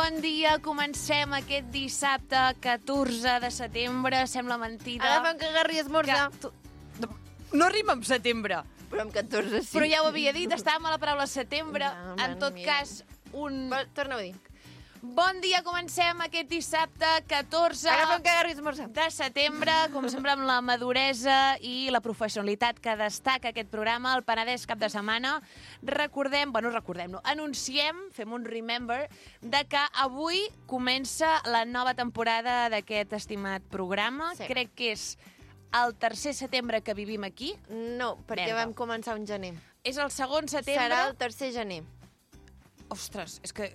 Bon dia, comencem aquest dissabte 14 de setembre, sembla mentida. Agafa'm que agarri esmorzar. No rima amb setembre. Però amb 14 sí. Però ja ho havia dit, estàvem a la paraula setembre. No, en tot cas, Torna-ho a dir. Bon dia, comencem aquest dissabte 14 Agafa'm que agarri esmorzar. de setembre, com sempre amb la maduresa i la professionalitat que destaca aquest programa, el Penedès cap de setmana. Anunciem, fem un remember, de que avui comença la nova temporada d'aquest estimat programa. Sí. Crec que és el tercer setembre que vivim aquí. No, perquè Merda. vam començar un gener. És el segon setembre. Serà el tercer gener. Ostres, és que...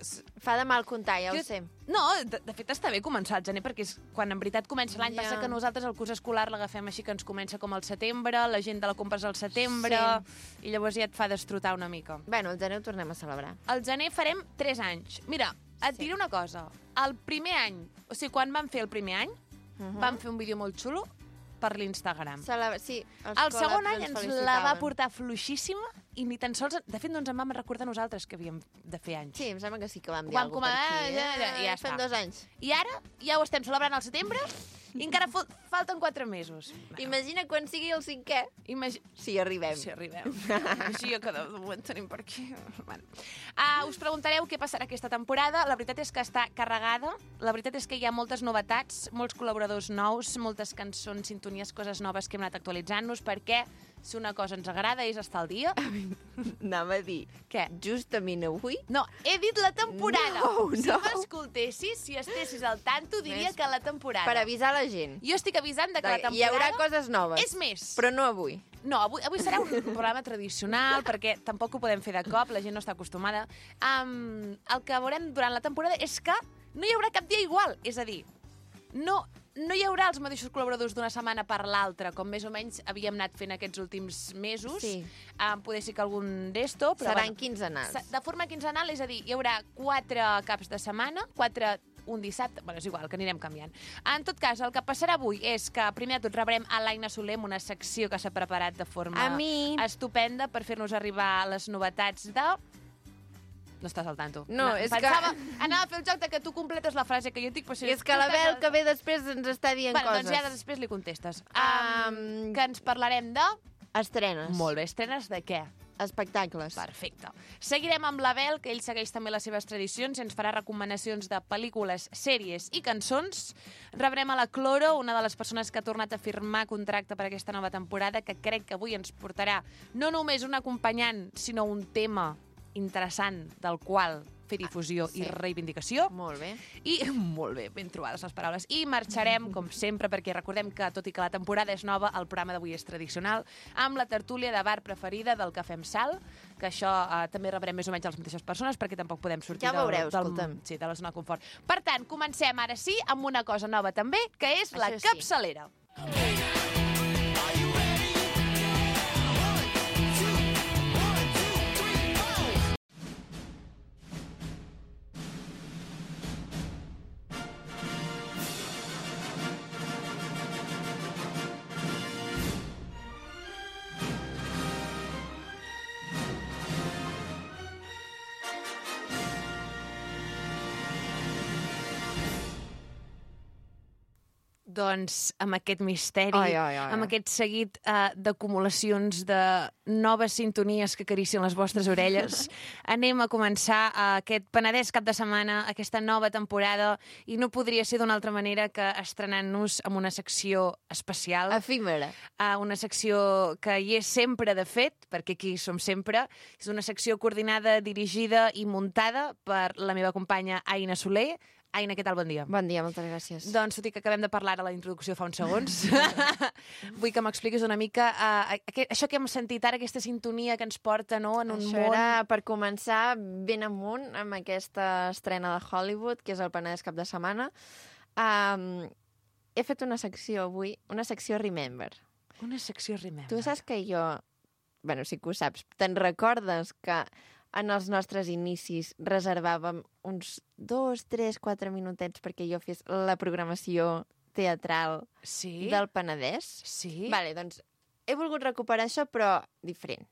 Fa de mal comptar, ja ho sé. No, de fet està bé començar el gener, perquè és quan en veritat comença l'any. Ja. Passa que nosaltres el curs escolar l'agafem així, que ens comença com al setembre, la gent de la compra és al setembre, i llavors ja et fa destrotar una mica. Bueno, el gener ho tornem a celebrar. Al gener farem 3 anys. Mira, et diré una cosa. El primer any, o sigui, quan vam fer el primer any, vam fer un vídeo molt xulo per l'Instagram. Sí, El segon any ens la va portar fluixíssima i ni tan sols... De fet, no ens en vam recordar nosaltres que havíem de fer anys. Sí, em sembla que sí que vam dir Vam alguna cosa per aquí. ja Fem està. 2 anys. I ara ja ho estem celebrant al setembre i encara falten 4 mesos. Imagina quan sigui el 5è. Si arribem. Si arribem. Així que de moment tenim per aquí. Bueno. Us preguntareu què passarà aquesta temporada. La veritat és que està carregada. La veritat és que hi ha moltes novetats, molts col·laboradors nous, moltes cançons, sintonies, coses noves que hem anat actualitzant-nos, perquè si una cosa ens agrada és estar al dia. Anava a dir, Què? justament avui... No, he dit la temporada. No, Si no. m'escoltessis, si estessis al tanto, diria Més que la temporada. Per avisar la gent. Jo estic avisant de que la temporada... Hi haurà coses noves. És més. Però no avui. No, avui serà un programa tradicional, perquè tampoc ho podem fer de cop, la gent no està acostumada. El que veurem durant la temporada és que no hi haurà cap dia igual. És a dir, no hi haurà els mateixos col·laboradors d'una setmana per l'altra, com més o menys havíem anat fent aquests últims mesos. Sí. Poder ser que algun d'esto, però... Seran quinzenals. De forma quinzenal, és a dir, hi haurà 4 caps de setmana, un dissabte, bueno, és igual, que anirem canviant. En tot cas, el que passarà avui és que primer de tot rebrem a l'Aina Soler amb una secció que s'ha preparat de forma estupenda per fer-nos arribar les novetats de... No estàs al tanto. No, és que... Anava a fer el joc de que tu completes la frase que jo dic... I és que la Bel que ve després ens està dient coses. Doncs ja després li contestes. Que ens parlarem de... Estrenes. Molt bé, estrenes de què? Espectacles. Perfecte. Seguirem amb l'Abel, que ell segueix també les seves tradicions i ens farà recomanacions de pel·lícules, sèries i cançons. Rebrem a la Cloro, una de les persones que ha tornat a firmar contracte per aquesta nova temporada, que crec que avui ens portarà no només un acompanyant, sinó un tema interessant del qual fer difusió i reivindicació. Molt bé. I molt bé, ben trobades les paraules. I marxarem, com sempre, perquè recordem que, tot i que la temporada és nova, el programa d'avui és tradicional, amb la tertúlia de bar preferida del Cafè amb Sal, que això també rebrem més o menys a les mateixes persones, perquè tampoc podem sortir Ja veureu, escolta'm. de la zona de confort. Per tant, comencem ara sí amb una cosa nova també, que és la Això sí. capçalera. Doncs amb aquest misteri, amb aquest seguit d'acumulacions de noves sintonies que acaricien les vostres orelles, anem a començar aquest Penedès cap de setmana, aquesta nova temporada, i no podria ser d'una altra manera que estrenant-nos amb una secció especial. Efímera. Una secció que hi és sempre, de fet, perquè aquí som sempre. És una secció coordinada, dirigida i muntada per la meva companya Aina Soler. Aina, què tal? Bon dia. Bon dia, moltes gràcies. Doncs, tot i que acabem de parlar a la introducció fa uns segons, vull que m'expliquis una mica això que hem sentit ara, aquesta sintonia que ens porta, no?, en un Això món... era per començar ben amunt amb aquesta estrena de Hollywood, que és el Penedès cap de setmana. He fet una secció avui, una secció Remember. Una secció Remember. Tu saps que jo... Bueno, sí que ho saps. Te'n recordes que en els nostres inicis reservàvem uns 2, 3, 4 minutets perquè jo fes la programació teatral del Penedès? Sí. Vale, doncs he volgut recuperar això, però diferent.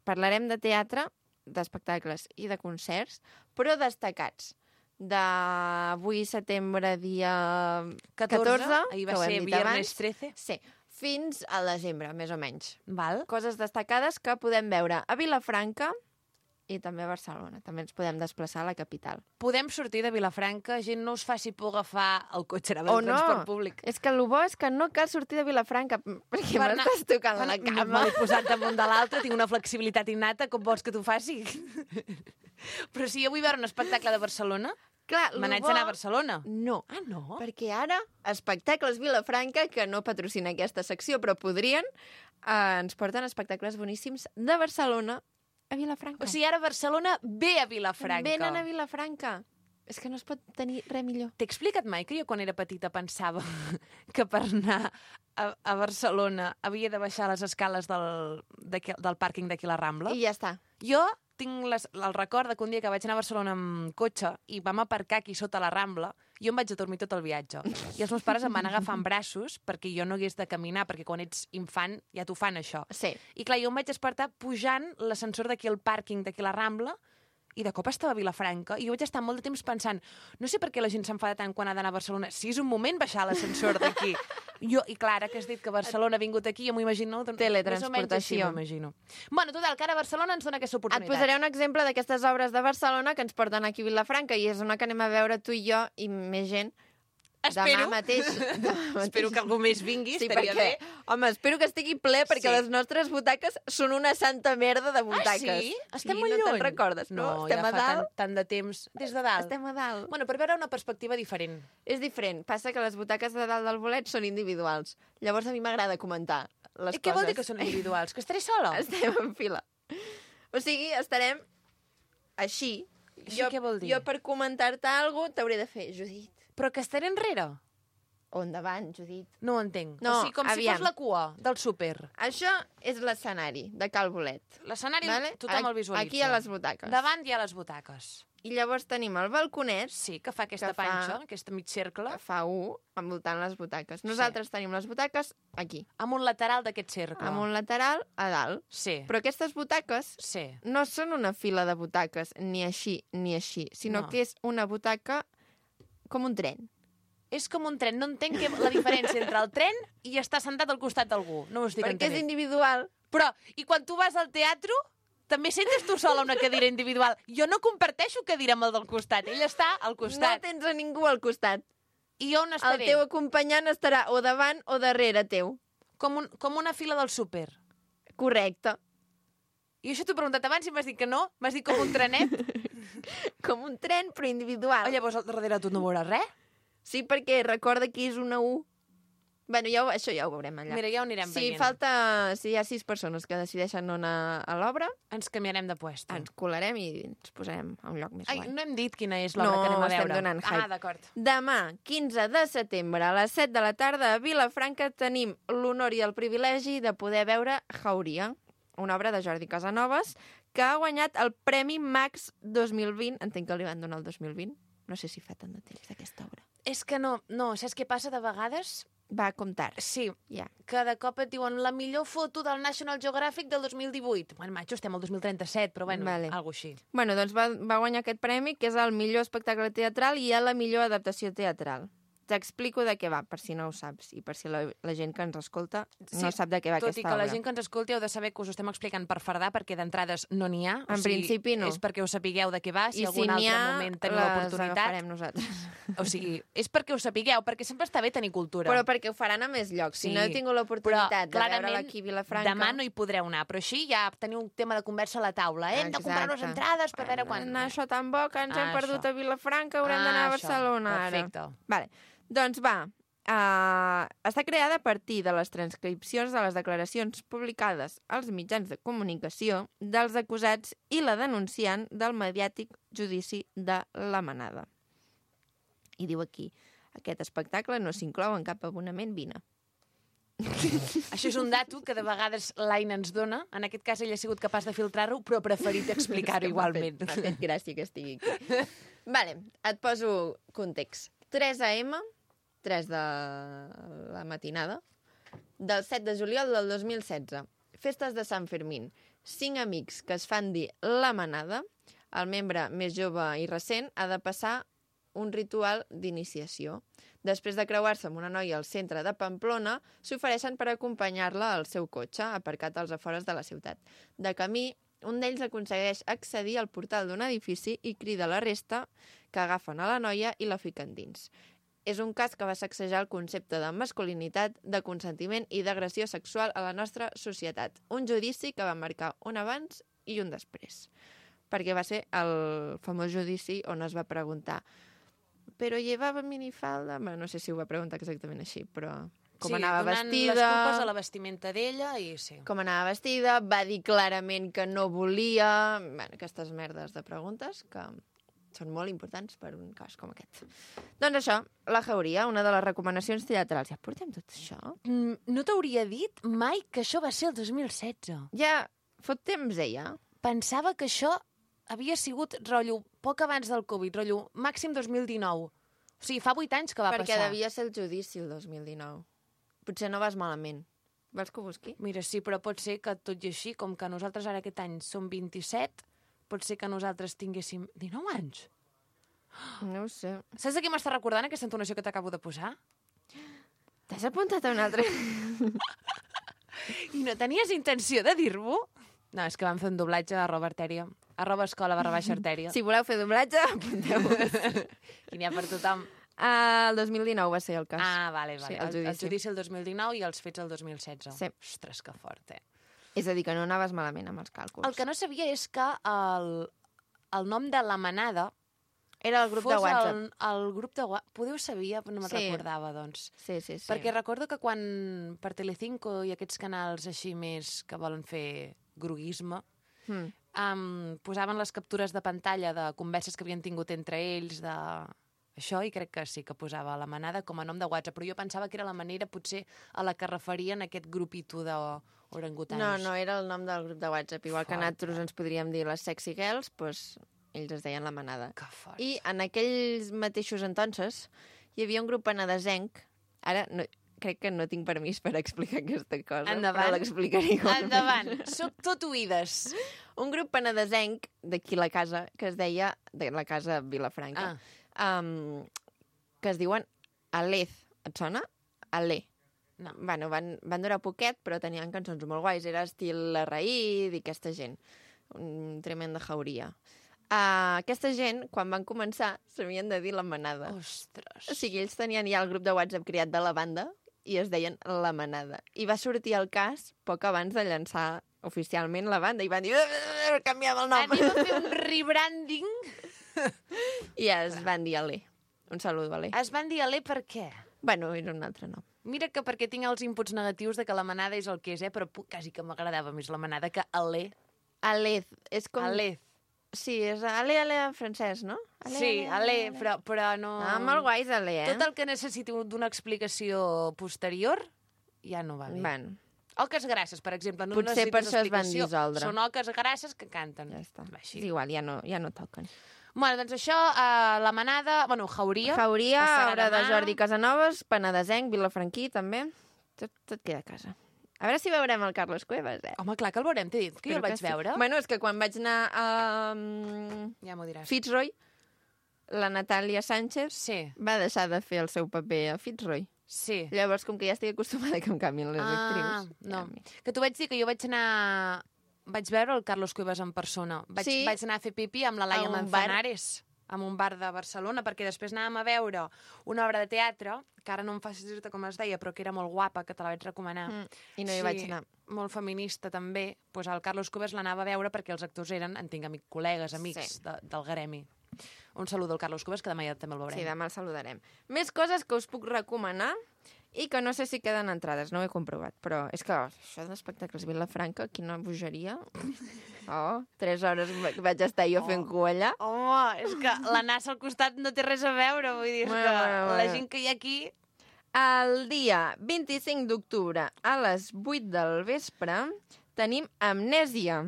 Parlarem de teatre, d'espectacles i de concerts, però destacats. d'avui setembre, dia 14, ahir que va ho hem ser dit viernes abans. 13. Sí, fins al desembre, més o menys. Val. Coses destacades que podem veure a Vilafranca i també a Barcelona. També ens podem desplaçar a la capital. Podem sortir de Vilafranca, gent no us faci por agafar el cotxe, anava O del no, transport públic. és que el bo és que no cal sortir de Vilafranca, perquè Per anar- m'estàs tocant la Me cama. l'he posat damunt de l'altre, tinc una flexibilitat innata, com vols que t'ho faci? Però si jo vull veure un espectacle de Barcelona, Clar, me n'haig d'anar a Barcelona. No, Ah, no? perquè ara Espectacles Vilafranca, que no patrocina aquesta secció, però podrien, ens porten espectacles boníssims de Barcelona a Vilafranca. O sigui, ara Barcelona ve a Vilafranca. Venen a Vilafranca. És que no es pot tenir res millor. T'he explicat mai que jo quan era petita pensava que per anar a Barcelona havia de baixar les escales del pàrquing d'aquí la Rambla? I ja està. Jo tinc el record de que un dia que vaig anar a Barcelona amb cotxe i vam aparcar aquí sota la Rambla, jo em vaig a dormir tot el viatge. I els meus pares em van agafar en braços perquè jo no hagués de caminar, perquè quan ets infant ja t'ho fan, això. Sí. I clar, jo em vaig despertar pujant l'ascensor d'aquí al pàrquing d'aquí la Rambla i de cop estava a Vilafranca i jo vaig estar molt de temps pensant, no sé per què la gent s'enfada tant quan ha d'anar a Barcelona, si és un moment baixar l'ascensor d'aquí. I clar, ara que has dit que Barcelona ha vingut aquí, jo m'ho imagino... Teletransportació. Més o menys així m'ho imagino. Bueno, total, que ara Barcelona ens dona aquesta Et oportunitat. posaré un exemple d'aquestes obres de Barcelona que ens porten aquí a Vilafranca i és una que anem a veure tu i jo i més gent. Espero. Demà mateix. Espero que algú més vingui, Sí, estaria perquè, bé. home, espero que estigui ple perquè Sí. les nostres butaques són una santa merda de butaques. Ah, sí? Estem sí, molt no lluny. te'n recordes, no? Estem ja a fa dalt. tant de temps. Des de dalt. Estem a dalt. Bueno, per veure una perspectiva diferent. És diferent. Passa que les butaques de dalt del bolet són individuals. Llavors a mi m'agrada comentar les I què vol dir coses. que són individuals? Que estaré sola? Estem en fila. O sigui, estarem així. Això què vol dir? Jo per comentar-te alguna cosa t'hauré de fer, Judit. Però que estaré enrere? O endavant, Judit. No ho entenc. No, o sigui, com aviam. si fos la cua del súper. Això és l'escenari de Cal Bolet. L'escenari Vale? tothom el visualitza. Aquí a les butaques. Davant hi ha les butaques. I llavors tenim el balconet, Sí, que fa aquesta Que fa- panxa, aquesta mig cercle, que fa U, envoltant les butaques. Nosaltres tenim les butaques aquí, amb un lateral d'aquest cercle. amb un lateral a dalt. Sí, Però aquestes butaques sí. no són una fila de butaques, ni així, sinó No. que és una butaca com un tren. És com un tren. No entenc la diferència entre el tren i estar sentat al costat d'algú. No ho estic Perquè és entenent. individual. Però, i quan tu vas al teatre, també sentes tu sola una cadira individual. Jo no comparteixo cadira amb el del costat. Ell està al No costat. tens a ningú al costat. I jo on El estaré? teu acompanyant estarà o davant o darrere teu. Com una fila del súper. Correcte. I això t'ho he preguntat abans i m'has dit que no. M'has dit com un trenet. Com un tren, però individual. Llavors, al darrere tu no veuràs res. Sí, perquè recorda que és una U. Bueno, això ja ho veurem allà. Mira, ja ho anirem Si veient. hi ha 6 persones que decideixen no anar a l'obra, Ens canviarem de puesto. ens colarem i ens posarem a un lloc més Ai, guai. no hem dit quina és l'obra No, que anem a estem veure. donant hype. Ah, d'acord. Demà, 15 de setembre, a les 7 de la tarda, a Vilafranca, tenim l'honor i el privilegi de poder veure Jauria, una obra de Jordi Casanovas, que ha guanyat el Premi Max 2020. Entenc que li van donar el 2020. No sé si fa tant de temps d'aquesta obra. És que no, saps què passa de vegades? Va comptar. Sí, Ja. que de cop et diuen la millor foto del National Geographic del 2018. Bueno, macho, estem al 2037, però bueno, Vale. algo així. Bueno, doncs va guanyar aquest premi, que és el millor espectacle teatral i a la millor adaptació teatral. T'explico de què va, per si no ho saps, i per si la gent que ens escolta no sap de què va Tot aquesta i que obra. la gent que ens escolti heu de saber que us ho estem explicant per fardar, perquè d'entrades no n'hi ha. En principi no. És perquè ho sapigueu de què va, si I algun si n'hi altre ha, moment teniu les l'oportunitat. agafarem nosaltres. O sigui, és perquè ho sapigueu, perquè sempre està bé tenir cultura. Però perquè ho faran a més llocs. Si Sí. no heu tingut l'oportunitat de clarament, veure-la aquí a Vilafranca... demà no hi podreu anar, però així ja teniu un tema de conversa a la taula. Hem de comprar unes Exacte. entrades per veure quan... Anar això tan bo que ens hem Això. perdut a Vilafranca, haurem d'anar a Això. Barcelona ara. Perfecte. Vale. Doncs va, està creada a partir de les transcripcions de les declaracions publicades als mitjans de comunicació dels acusats i la denunciant del mediàtic judici de la Manada. I diu aquí, aquest espectacle no s'inclou en cap abonament Vine. Això és un dato que de vegades l'Aina ens dona. En aquest cas ell ha sigut capaç de filtrar-ho, però ha preferit explicar-ho igualment. M'ha fet gràcia que estigui aquí. Vale, et poso context. 3 AM, 3 de la matinada, del 7 de juliol del 2016. Festes de Sant Fermín. 5 amics que es fan dir La Manada. El membre més jove i recent ha de passar un ritual d'iniciació. Després de creuar-se amb una noia al centre de Pamplona, s'ofereixen per acompanyar-la al seu cotxe, aparcat als afores de la ciutat. De camí, un d'ells aconsegueix accedir al portal d'un edifici i crida la resta, que agafen a la noia i la fiquen dins. És un cas que va sacsejar el concepte de masculinitat, de consentiment i d'agressió sexual a la nostra societat. Un judici que va marcar un abans i un després. Perquè va ser el famós judici on es va preguntar «Però llevava minifalda?» Bé, no sé si ho va preguntar exactament així, però com anava vestida... Sí, donant les culpes a la vestimenta d'ella i sí. Com anava vestida, va dir clarament que no volia... Bé, aquestes merdes de preguntes que són molt importants per un cas com aquest. Doncs això, la Jauria, una de les recomanacions teatrals. Ja portem tot això? No t'hauria dit mai que això va ser el 2016. Ja fot temps, ella. Pensava que això havia sigut, rotllo, poc abans del Covid, rotllo, màxim 2019. O sigui, fa 8 anys que va Perquè passar. devia ser el judici el 2019. Potser no vas malament. Vols que ho busqui? Mira, sí, però pot ser que tot i així, com que nosaltres ara aquest any som 27, pot ser que nosaltres tinguéssim 19 anys. No ho sé. Saps de què m'està recordant aquesta entonació que t'acabo de posar? T'has apuntat a un altre? I no tenies intenció de dir-ho? No, és que vam fer un doblatge a Artèria. @escola_artèria. Si voleu fer doblatge, apunteu-vos. I n'hi ha per tothom. El 2019 va ser el cas. Ah, vale. Sí, El judici el 2019 i els fets el 2016. Sí. Ostres, que fort, És a dir, que no anaves malament amb els càlculs. El que no sabia és que el nom de la manada era el grup de WhatsApp. El grup de WhatsApp. Podeu sabia, no me'n recordava, doncs. Sí. Perquè recordo que quan per Telecinco i aquests canals així més que volen fer groguisme, posaven les captures de pantalla de converses que havien tingut entre ells, això, i crec que sí que posava la manada com a nom de WhatsApp, però jo pensava que era la manera potser a la que referien aquest grupito d'orangutans. No, era el nom del grup de WhatsApp. Igual que nosaltres ens podríem dir les sexy girls, doncs ells es deien la manada. Que fort. I en aquells mateixos entonces hi havia un grup penedesenc. Ara crec que no tinc permís per explicar aquesta cosa, Endavant. però l'explicaré igualment. Endavant, soc tot oïdes. Un grup penedesenc d'aquí la casa, que es deia, de la casa Vilafranca, que es diuen Alez. Et sona? Alé. No. Bueno, van durar poquet, però tenien cançons molt guais. Era estil La Raïd i aquesta gent. Un tremenda jauria. Aquesta gent, quan van començar, s'havien de dir la manada. Ostres. O sigui, ells tenien ja el grup de WhatsApp creat de la banda i es deien la manada. I va sortir el cas poc abans de llançar oficialment la banda i van dir canviem el nom. Anem a fer un rebranding. I es van dir Alé. Un saludo, Alé. Es van dir Alé per què? Bueno, era un altre nom. Mira que perquè tinc els inputs negatius de que la manada és el que és, però quasi que m'agradava més la manada que Alé. Alez. És com... Alez. Sí, és Ale en francès, no? Alé, però no... molt guais, Ale, Tot el que necessiti d'una explicació posterior ja no va bé. Bueno. Oques grasses, per exemple. No Potser per això es van explicació. dissoldre. Són oques grasses que canten. Ja està. Així. És igual, ja no toquen. Bueno, doncs això, la manada... Bueno, Jauria. Jauria, passarà Hora de demà. Jordi Casanovas, Penedesenc, Vilafranquí, també. Tot queda a casa. A veure si veurem el Carlos Cuevas, Home, clar que el veurem, t'he dit que jo el vaig veure. Bueno, és que quan vaig anar a Ja m'ho diràs. Fitzroy, la Natàlia Sánchez va deixar de fer el seu paper a Fitzroy. Sí. Llavors, com que ja estic acostumada que em canvien les actrius... No. Que t'ho vaig dir, que jo vaig anar... Vaig veure el Carlos Cuevas en persona. Vaig anar a fer pipí amb la Laia Manzanares, en un bar de Barcelona, perquè després anàvem a veure una obra de teatre, que ara no em facis dir-te com es deia, però que era molt guapa, que te la vaig recomanar. I no hi vaig anar. Molt feminista, també. Pues el Carlos Cuevas l'anava a veure perquè els actors eren, en tinc col·legues, amics del gremi. Un saludo al Carlos Cuevas, que demà ja també el veurem. Sí, demà el saludarem. Més coses que us puc recomanar i que no sé si queden entrades, no ho he comprovat, però és que això d'espectacles Vilafranca, quina bogeria. 3 hores vaig estar jo fent cua allà. Home, és que la NASA al costat no té res a veure, vull dir, que la gent que hi ha aquí... El dia 25 d'octubre a les 8 del vespre tenim Amnèsia.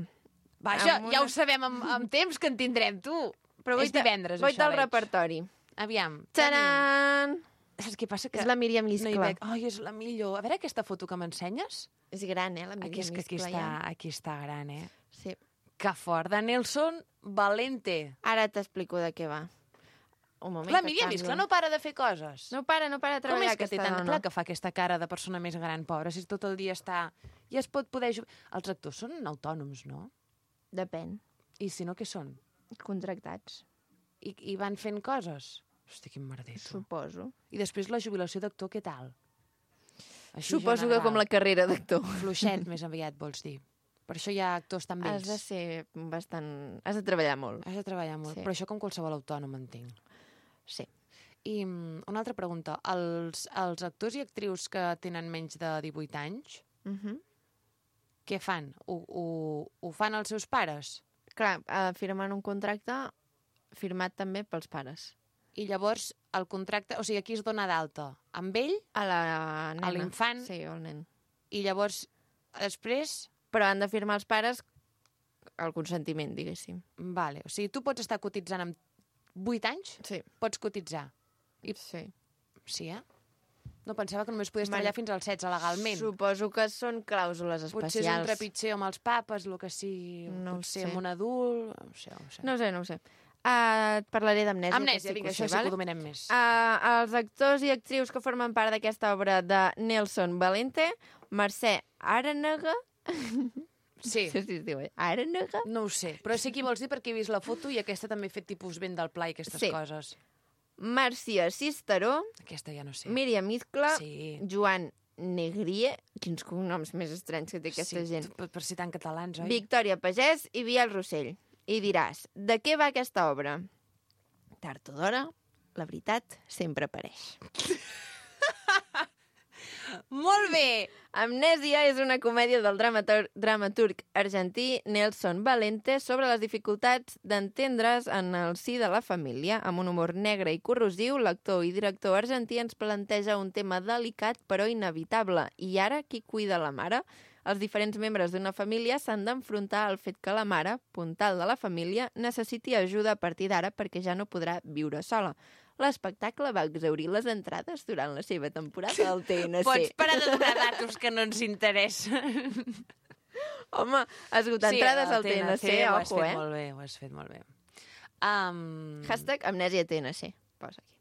Vaja, ja ho sabem amb temps que en tindrem, tu. Però és divendres, això, del repertori. Aviam. Tadam! Saps què passa? Que és la Míriam Liscla. Ai, és la millor. A veure aquesta foto que m'ensenyes. És gran, la Míriam Liscla. Aquí està gran, Sí. Que fort. De Nelson Valente. Ara t'explico de què va. un moment Clar, que Míriam, és canvia. clar, no para de fer coses. No para de Com treballar és que té aquesta tant... dona. Clar que fa aquesta cara de persona més gran, pobra, si tot el dia està... Ja es pot poder... Els actors són autònoms, no? Depèn. I si no, què són? Contractats, I van fent coses? Hosti, quin merder, tu. suposo. I després la jubilació d'actor, què tal? Així Suposo que general. com la carrera d'actor. Fluixet, més aviat, vols dir. Per això hi ha actors tan vells. Has de ser bastant... Has de treballar molt. Has de treballar molt. Sí. Però això com qualsevol autònom, entenc. Sí. I una altra pregunta. Els actors i actrius que tenen menys de 18 anys, què fan? Ho fan els seus pares? Clar, firmen un contracte firmat també pels pares. I llavors el contracte... O sigui, aquí es dona d'alta amb ell A la nena. A l'infant? Sí, al nen. i llavors després... Però han de firmar els pares el consentiment, diguéssim. Vale. O sigui, tu pots estar cotitzant amb 8 anys? Sí. Pots cotitzar. Sí. Sí, No, pensava que només podies Bueno, treballar fins als 16 legalment. Suposo que són clàusules Potser és un especials. trepitger amb els papes, el que sigui. No ho Potser sé. amb un adult... No ho sé. No ho sé. Et parlaré d'Amnèsia. Amnèsia, vinga, això sí que ho dominem més. Els actors i actrius que formen part d'aquesta obra de Nelson Valente, Mercè Arenega... Sí. No sé si es diu, Arenega? No ho sé, però sé qui vols dir perquè he vist la foto i aquesta també ha fet tipus vent del pla i aquestes Sí. coses. Marcia Cisteró, Aquesta ja no sé. Míriam Iscla, Sí. Joan Negrier, quins cognoms més estranys que té aquesta Sí, gent, per citar en catalans, oi? Victòria Pagès i Biel Rossell. I diràs, de què va aquesta obra? Tard o d'hora, la veritat sempre apareix. Molt bé! Amnèsia és una comèdia del dramaturg argentí Nelson Valente sobre les dificultats d'entendre's en el si de la família. Amb un humor negre i corrosiu, l'actor i director argentí ens planteja un tema delicat però inevitable. I ara, qui cuida la mare? Els diferents membres d'una família s'han d'enfrontar al fet que la mare, puntal de la família, necessiti ajuda a partir d'ara perquè ja no podrà viure sola. L'espectacle va exaurir les entrades durant la seva temporada al TNC. Pots parar de donar datos que no ens interessen. Home, esgotar entrades al TNC, ho has ojo, fet molt bé, ho has fet molt bé. Hashtag Amnèsia TNC. Posa aquí.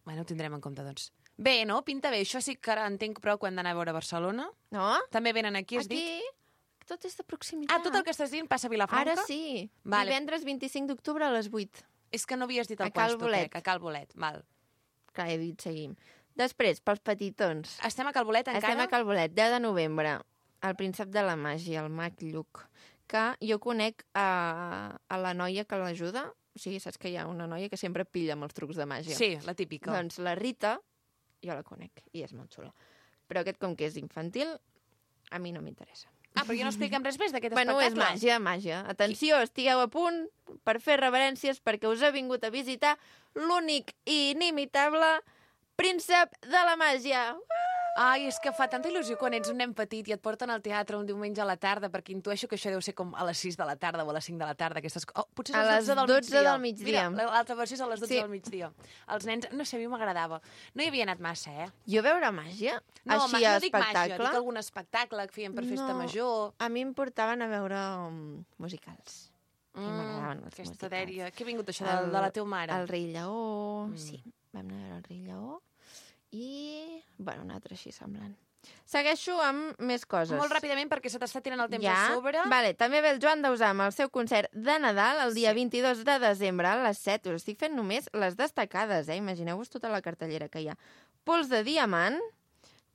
Bueno, ho tindrem en compte, doncs. Bé, no? Pinta bé. Això sí que ara entenc prou quan d'anar a veure Barcelona. No? També venen aquí, has dit? Aquí, tot és de proximitat. Tot el que estàs dient passa a Vilafranca? Ara sí. Vale. Divendres 25 d'octubre a les 8. És que no havies dit el A Cal puesto, Bolet. crec. A Cal Bolet, val. Clar, he dit seguim. Després, pels petitons. Estem a Cal Bolet encara? Estem a Cal Bolet, 10 de novembre. El príncep de la màgia, el mag Lluc. Que jo conec a la noia que l'ajuda. O sigui, saps que hi ha una noia que sempre pilla amb els trucs de màgia. Sí, la típica. Doncs la Rita, jo la conec, i és molt xula. Però aquest, com que és infantil, a mi no m'interessa. Però ja no expliquem res més d'aquest Bueno, és espectacle. màgia. Atenció, estigueu a punt per fer reverències perquè us ha vingut a visitar l'únic i inimitable príncep de la màgia. Ai, és que fa tanta il·lusió quan ets un nen petit i et porten al teatre un diumenge a la tarda, perquè intueixo que això deu ser com a les 6 de la tarda o a les 5 de la tarda. Aquestes... potser és A les 12 les 12 del migdia. Mira, l'altra versió és a les 12 Sí. del migdia. Els nens, no sé, a mi m'agradava. No hi havia anat massa, Jo veure màgia? No, Així a no dic màgia, espectacle? dic algun espectacle que feien per festa No. major. A mi em portaven a veure musicals. Que m'agradaven els Aquesta musicals. dèria. Què ha vingut això de la teva mare? El rei Lleó, sí. Vam anar a veure el rei Lleó. I, bueno, un altre així semblant. Segueixo amb més coses. Molt ràpidament, perquè se t'està tirant el temps Ja? a sobre. Vale, també ve el Joan Dausà amb el seu concert de Nadal el dia 22 de desembre a les 7. Us estic fent només les destacades, Imagineu-vos tota la cartellera que hi ha. Pols de Diamant,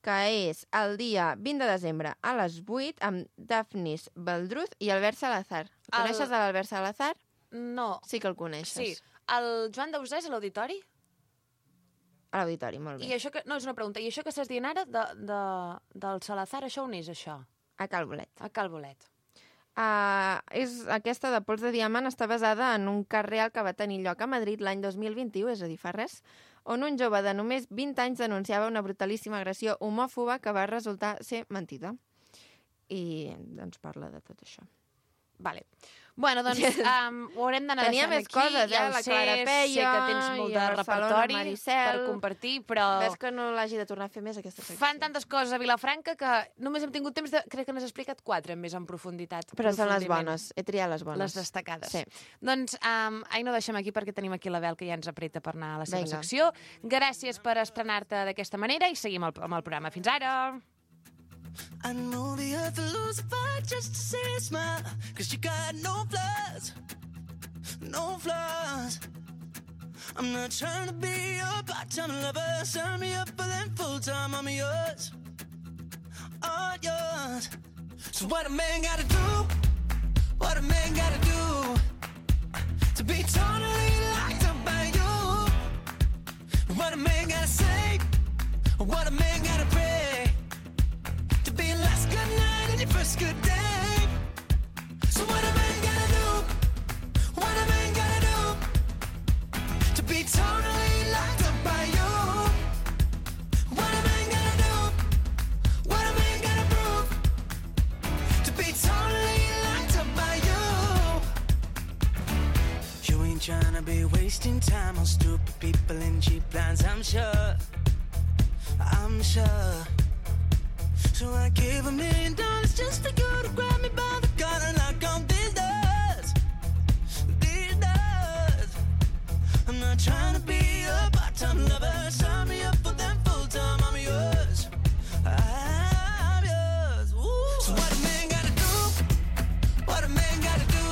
que és el dia 20 de desembre a les 8, amb Daphnis Baldruz i Albert Salazar. Coneixes l'Albert Salazar? No. Sí que el coneixes. Sí. El Joan Dausà és a l'auditori? A l'auditori, molt bé. I això que... No, és una pregunta. I això que estàs dient ara del Salazar, això on és, això? A Cal Bolet. A Cal Bolet. Aquesta de Pols de Diamant està basada en un cas real que va tenir lloc a Madrid l'any 2021, és a dir, fa res, on un jove de només 20 anys denunciava una brutalíssima agressió homòfoba que va resultar ser mentida. I doncs parla de tot això. Vale. Bueno, doncs ho haurem d'anar Tenia deixant més aquí. coses, Ja ho la sé, Clara Peia, sé que tens molt i de a Barcelona, repertori Maricel. per compartir, però... Ves que no l'hagi de tornar a fer més, aquesta secció. Fan tantes coses a Vilafranca que només hem tingut temps de... Crec que n'has explicat 4 més en profunditat. Però són les profundiment. bones, he triat les bones. Les destacades. Sí. Doncs, no deixem aquí perquè tenim aquí la Bel que ja ens apreta per anar a la seva Vinga. secció. Gràcies per estrenar-te d'aquesta manera i seguim amb el programa. Fins ara! I know the earth will lose a fight just to see a smile, 'cause you got no flaws, no flaws. I'm not trying to be your part-time lover, sign me up for them full-time, I'm yours, all yours. So what a man gotta do, what a man gotta do, to be totally locked up by you. What a man gotta say, what a man gotta pray, to be your last good night and your first good day. So what a man gotta do, what a man gotta do, to be totally locked up by you. What a man gotta do, what a man gotta prove, to be totally locked up by you. You ain't tryna be wasting time on stupid people and cheap lines, I'm sure, I'm sure. So I gave $1 million just for you to grab me by the collar and lock on these doors, these doors. I'm not trying to be a part-time lover, sign me up for them full-time, I'm yours, I'm yours. Ooh. So what a man gotta do, what a man gotta do,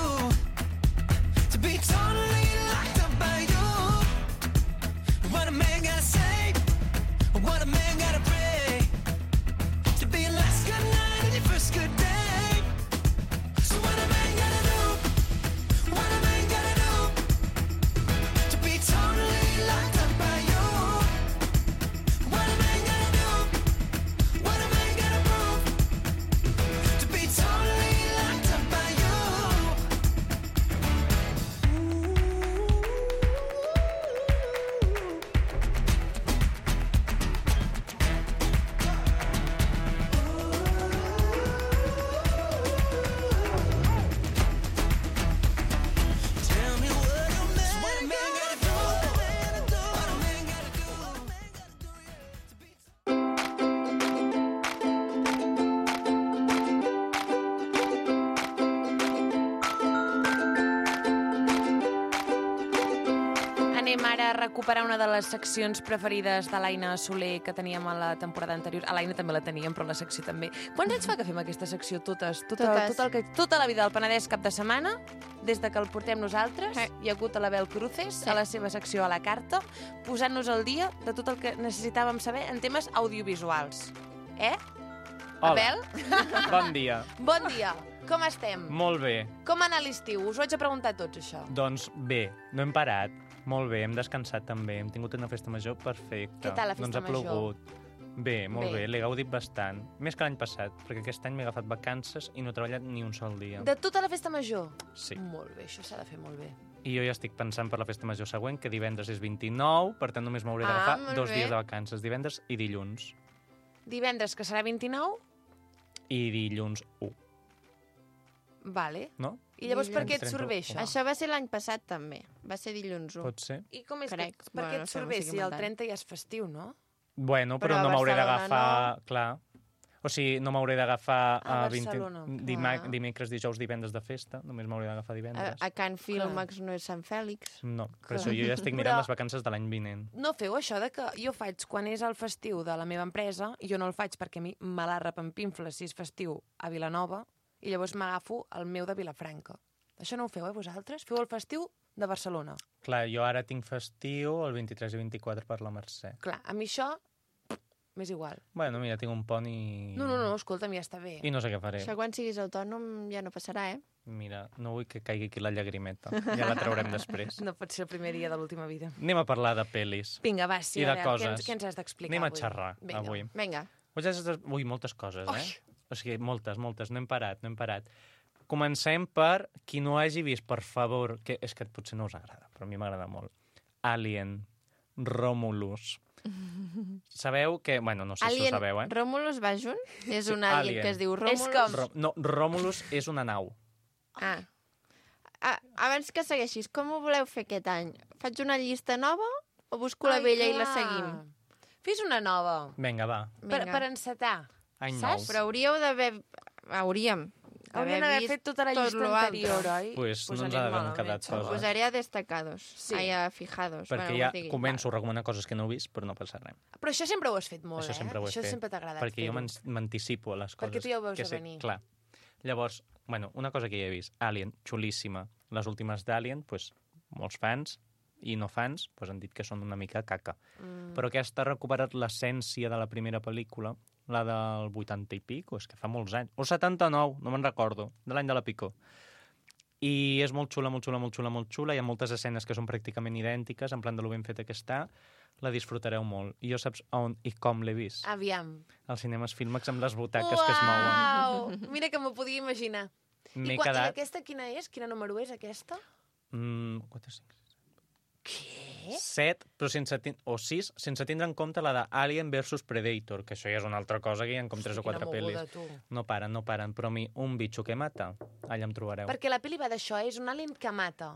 to be totally locked up by you. What a man gotta say, what a man gotta pray, to be your last good night and your first good day. So what a man gotta do, what a man gotta do, to be totally locked up by you. What a man gotta do, what a man gotta prove, to be totally locked up by you. Tell me what a man gotta do, what a man gotta do, to be Anem ara a recuperar una de les seccions preferides de l'Aina Soler que teníem a la temporada anterior. A l'Aina també la teníem, però la secció també. Quants anys fa que fem aquesta secció? Totes. Tota la vida del Penedès cap de setmana, des de que el portem nosaltres, hi ha hagut a l'Abel Cruces, a la seva secció a la carta, posant-nos al dia de tot el que necessitàvem saber en temes audiovisuals. Hola. Abel? Bon dia. Bon dia. Com estem? Molt bé. Com ha anat l'estiu? Us ho haig de preguntar a tots, això. Doncs bé, no hem parat. Molt bé, hem descansat també. Hem tingut una festa major perfecta. Què tal la festa Doncs ha major? plogut. Bé, molt Bé. bé. L'he gaudit bastant. Més que l'any passat, perquè aquest any m'he agafat vacances i no he treballat ni un sol dia. De tota la festa major? Sí. Molt bé, això s'ha de fer molt bé. I jo ja estic pensant per la festa major següent, que divendres és 29, per tant només m'hauré Ah, d'agafar molt 2 bé. dies de vacances, divendres i dilluns. Divendres, que serà 29? I dilluns 1, Vale. no? I llavors per Dilluns què et surt bé, això? Això va ser l'any passat, també. Va ser dilluns 1. Pot ser? I com és Crec. que... Per què Bueno, et no sé, surt no bé estic si el inventant. 30 ja és festiu, no? Bueno, Però però a no m'hauré Barcelona d'agafar... Clar. O sigui, no m'hauré d'agafar A Barcelona, clar. dimecres, dijous, divendres de festa. Només m'hauré d'agafar divendres. A Can Filmax no és Sant Fèlix. No, per Clar. això jo ja estic mirant Però- les vacances de l'any vinent. No feu això de que jo faig quan és el festiu de la meva empresa, i jo no el faig perquè a mi me la repampinfla si és festiu a Vilanova, i llavors m'agafo el meu de Vilafranca. Això no ho feu, vosaltres? Feu el festiu de Barcelona. Clar, jo ara tinc festiu el 23 i 24 per la Mercè. Clar, a mi això m'és igual. Bueno, mira, tinc un pont i... No, escolta'm, ja està bé. I no sé què faré. Això quan siguis autònom ja no passarà, eh? Mira, no vull que caigui aquí la llagrimeta. Ja la traurem després. No pot ser el primer dia de l'última vida. Anem a parlar de pel·lis. Vinga, va, sí, I de a veure, coses. què ens has d'explicar Anem a avui? xerrar, Vinga. avui. Vinga. Ui, moltes coses, Ui. O sigui, moltes. No hem parat. Comencem per qui no hagi vist, per favor, que és que potser no us agrada, però a mi m'agrada molt. Alien, Romulus. Sabeu que... Bueno, no sé si ho sabeu, eh? Romulus va junt? És Sí, un alien Alien. que es diu És Romulus? com- No, Romulus és una nau. Ah. Abans que segueixis, com ho voleu fer aquest any? Faig una llista nova o busco la vella i la seguim? Fes una nova. Vinga, va. Per encetar. Any Saps? nou. Però hauríeu d'haver... Hauríem Haurien d'haver fet tota la tot llista lo anterior, altre. oi? Pues no ens anem ha d'haver malament, quedat xaval. coses. Posaré a destacados. Sí. Ai, a fijados. Perquè bueno, ja com es digui. començo a recomanar coses que no he vist, però no passa res. Però això sempre ho has fet molt, Això sempre ho he Això fet. sempre t'ha agradat Perquè jo fer-ho. m'anticipo a les coses. Perquè tu ja ho veus que a sé. venir. Clar. Llavors, bueno, una cosa que ja he vist. Alien, xulíssima. Les últimes d'Alien, pues, molts fans i no fans pues, han dit que són una mica caca. Però aquesta ha recuperat l'essència de la primera pel·lícula, la del 80 i pico, és que fa molts anys. O 79, no me'n recordo, de l'any de la Picó. I és molt xula, molt xula, molt xula, molt xula. Hi ha moltes escenes que són pràcticament idèntiques, en plan de lo ben feta que està. La disfrutareu molt. I jo saps on i com l'he vist? Aviam. Als cinemes Filmax amb les butaques que es mouen. Uau! Mira que m'ho podia imaginar. M'he I quedat... aquesta quina és? Quina número és, aquesta? 4, 5, Què? 7, però o 6, sense tindre en compte la d'Alien vs Predator, que això ja és una altra cosa, que hi ha com 3 o 4 pel·lis. No paren, però a mi un bitxo que mata, allà em trobareu. Perquè la pel·li va d'això, és un alien que mata.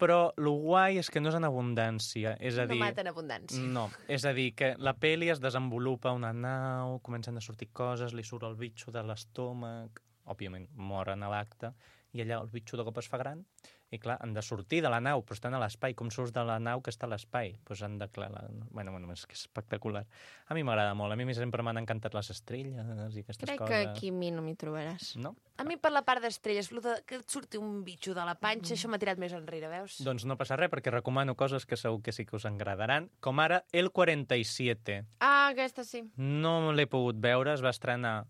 Però lo guai és que no és en abundància, és a dir... No mata en abundància. No, és a dir, que la pel·li es desenvolupa una nau, comencen a sortir coses, li surt el bitxo de l'estómac, òbviament moren a l'acte, i allà el bitxo de cop es fa gran, i clar, han de sortir de la nau, però estan a l'espai. Com surts de la nau que està a l'espai? Doncs han de... Bueno, és que és espectacular. A mi m'agrada molt. A mi sempre m'han encantat les estrelles i aquestes Crec coses. que aquí a mi no m'hi trobaràs. No? A mi per la part d'estrelles, que et surti un bitxo de la panxa, això m'ha tirat més enrere, veus? Doncs no passa res, perquè recomano coses que segur que sí que us agradaran, com ara El 47. Ah, aquesta sí. No l'he pogut veure, es va estrenar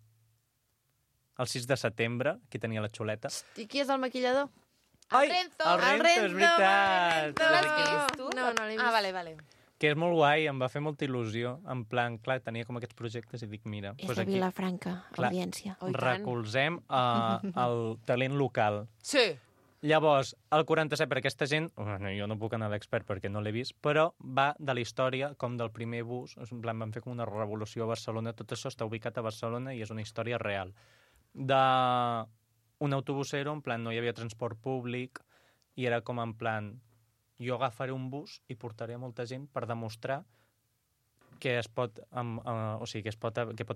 el 6 de setembre, aquí tenia la xuleta. I qui és el maquillador? Ai, Renzo! el Renzo, és veritat! L'has vist, tu? No, no l'he vist. Ah, vale. Que és molt guai, em va fer molta il·lusió. En plan, clar, tenia com aquests projectes i dic, mira... És doncs de aquí Vilafranca, clar, audiència. Oh, i tant. recolzem el talent local. Sí. Llavors, el 47, per aquesta gent, bueno, jo no puc anar d'expert perquè no l'he vist, però va de la història com del primer bus, en plan, van fer com una revolució a Barcelona, tot això està ubicat a Barcelona i és una història real. Un autobusero, en plan, no hi havia transport públic, i era com en plan, jo agafaré un bus i portaré a molta gent per demostrar que pot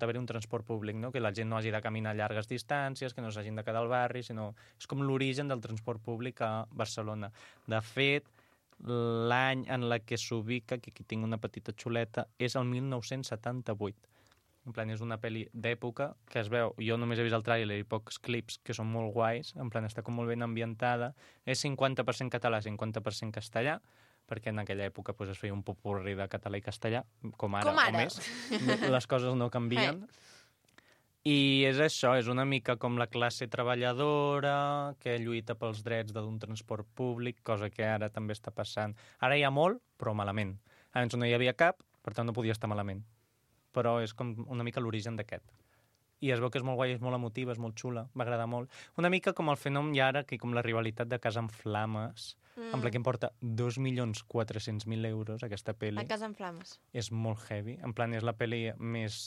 haver-hi un transport públic, no? Que la gent no hagi de caminar llargues distàncies, que no s'hagin de quedar al barri, sinó... És com l'origen del transport públic a Barcelona. De fet, l'any en la que s'ubica, que aquí tinc una petita xuleta, és el 1978. En plan, és una pel·li d'època que es veu... Jo només he vist el tràiler i pocs clips que són molt guais. En plan, està com molt ben ambientada. És 50% català, 50% castellà, perquè en aquella època pues, es feia un popurri de català i castellà, com ara. O més. Les coses no canvien. I és això, és una mica com la classe treballadora que lluita pels drets d'un transport públic, cosa que ara també està passant. Ara hi ha molt, però malament. Abans no hi havia cap, per tant no podia estar malament. Però és com una mica l'origen d'aquest. I es veu que és molt guai, és molt emotiva, és molt xula, m'agrada molt. Una mica com el fenomen i ara, que com la rivalitat de Casa en Flames, en plan que em porta 2.400.000 euros aquesta pel·li. La Casa en Flames. És molt heavy. En plan, és la pel·li més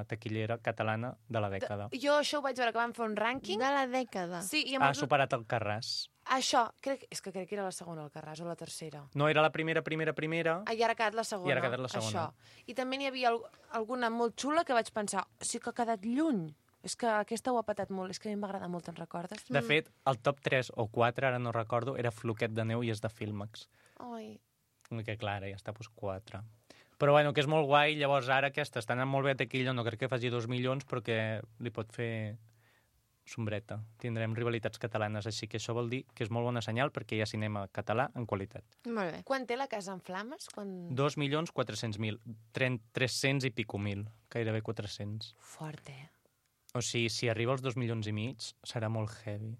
taquillera catalana de la dècada. Jo això ho vaig veure, que van fer un rànquing. De la dècada. Sí, i Ha superat el Carràs. Això, crec que era la segona, el Carràs, o la tercera. No, era la primera. Ah, i ara ha quedat la segona. I ara ha quedat la segona. Això. I també n'hi havia alguna molt xula que vaig pensar, sí que ha quedat lluny. És que aquesta ho ha patat molt, és que a mi m'agrada molt, te'n recordes? De fet, el top 3 o 4, ara no recordo, era Floquet de neu i és de Filmax. Ai. Que clar, ja està, doncs 4. Però bueno, que és molt guai, llavors ara aquesta està anant molt bé a taquilla, no crec que faci 2 milions, però que li pot fer sombreta. Tindrem rivalitats catalanes, així que això vol dir que és molt bona senyal perquè hi ha cinema català en qualitat. Molt bé. Quan té la Casa en Flames? 2.400.000, 300 i pico mil, gairebé 400. Fort, O sigui, si arriba als 2,5 milions, serà molt heavy.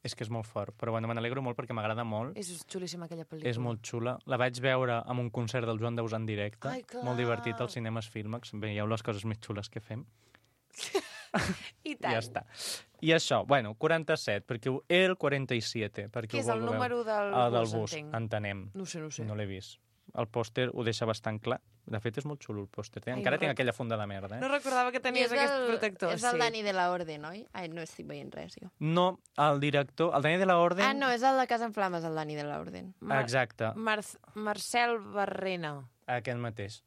És que és molt fort. Però bueno, me n'alegro molt perquè m'agrada molt. És xulíssima aquella pel·lícula. És molt xula. La vaig veure amb un concert del Joan Daus en directe. Ai, clar. Molt divertit als cinemes Filmax. Veieu les coses més xules que fem. I tant. Ja està. I això, bueno, 47, perquè el 47. Perquè Què és el número del del bus, bus, entenc. entenem. No ho sé. No l'he vist. el pòster ho deixa bastant clar. De fet, és molt xulo el pòster. Ai, Encara no tinc aquella funda de merda, No recordava que tenies aquest protector. És el Dani de la Orden, oi? Ai, no estic veient res, jo. No, el director, el Dani de la Orden... Ah, no, és el de Casa en Flames, el Dani de la Orden. Exacte, Marcel Barrena. aquest mateix.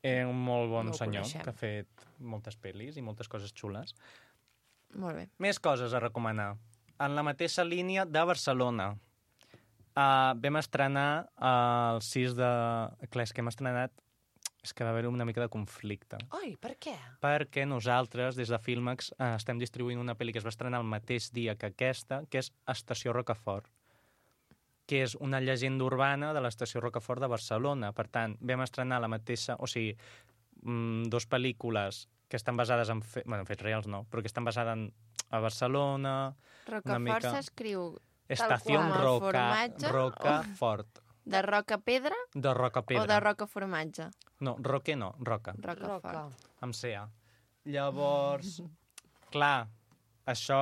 Un molt bon No ho senyor coneixem. que ha fet moltes pel·lis i moltes coses xules. Molt bé. Més coses a recomanar. En la mateixa línia de Barcelona. Vam estrenar el 6 de... Clar, és que hem estrenat... És que va haver una mica de conflicte. Oi, per què? Perquè nosaltres, des de Filmex, estem distribuint una pel·li que es va estrenar el mateix dia que aquesta, que és Estació Rocafort, que és una llegenda urbana de l'Estació Rocafort de Barcelona. Per tant, vam estrenar la mateixa... O sigui, dos pel·lícules que estan basades en... Bueno, en fets reals no, però que estan basades a Barcelona... Rocafort mica- s'escriu Estació qual, el Roca, formatge, Rocafort. de roca pedra De Roca Pedra. o de roca formatge? No, Roque no, Roca. Rocafort. Amb CA. Llavors, clar, això,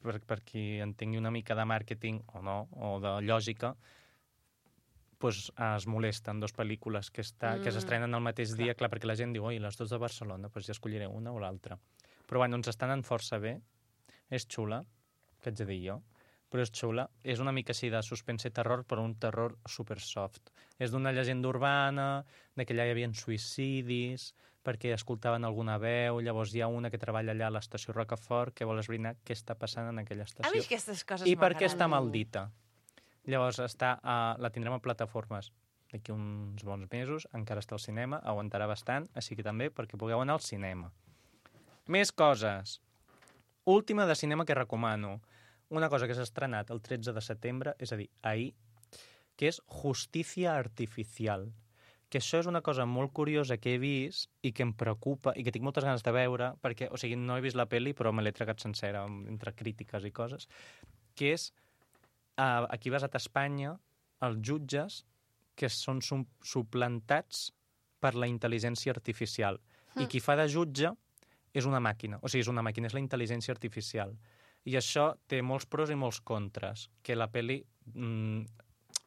per qui entengui una mica de màrqueting o no, o de lògica, pues, es molesten dos pel·lícules que s'estrenen el mateix dia, clar, perquè la gent diu, oi, les dues de Barcelona, doncs ja escolliré una o l'altra. Però bueno, ens estan anant força bé, és xula, que haig de dir jo, però és xula. És una mica així de suspense i terror, però un terror super soft. És d'una llegenda urbana, de que allà hi havia suïcidis, perquè escoltaven alguna veu, llavors hi ha una que treballa allà a l'estació Rocafort que vol esbrinar què està passant en aquella A mi estació. aquestes coses I per què m'agraden. està maldita. Llavors la tindrem a plataformes d'aquí uns bons mesos, encara està al cinema, aguantarà bastant, així que també perquè pugueu anar al cinema. Més coses. Última de cinema que recomano. Una cosa que s'ha estrenat el 13 de setembre, és a dir, ahir, que és Justicia Artificial. Que això és una cosa molt curiosa que he vist i que em preocupa i que tinc moltes ganes de veure, perquè, o sigui, no he vist la pel·li, però me l'he tragat sencera, entre crítiques i coses, que és, aquí basat a Espanya, els jutges que són suplantats per la intel·ligència artificial. I qui fa de jutge és una màquina. O sigui, és una màquina, és la intel·ligència artificial. I això té molts pros i molts contres. Que la pel·li...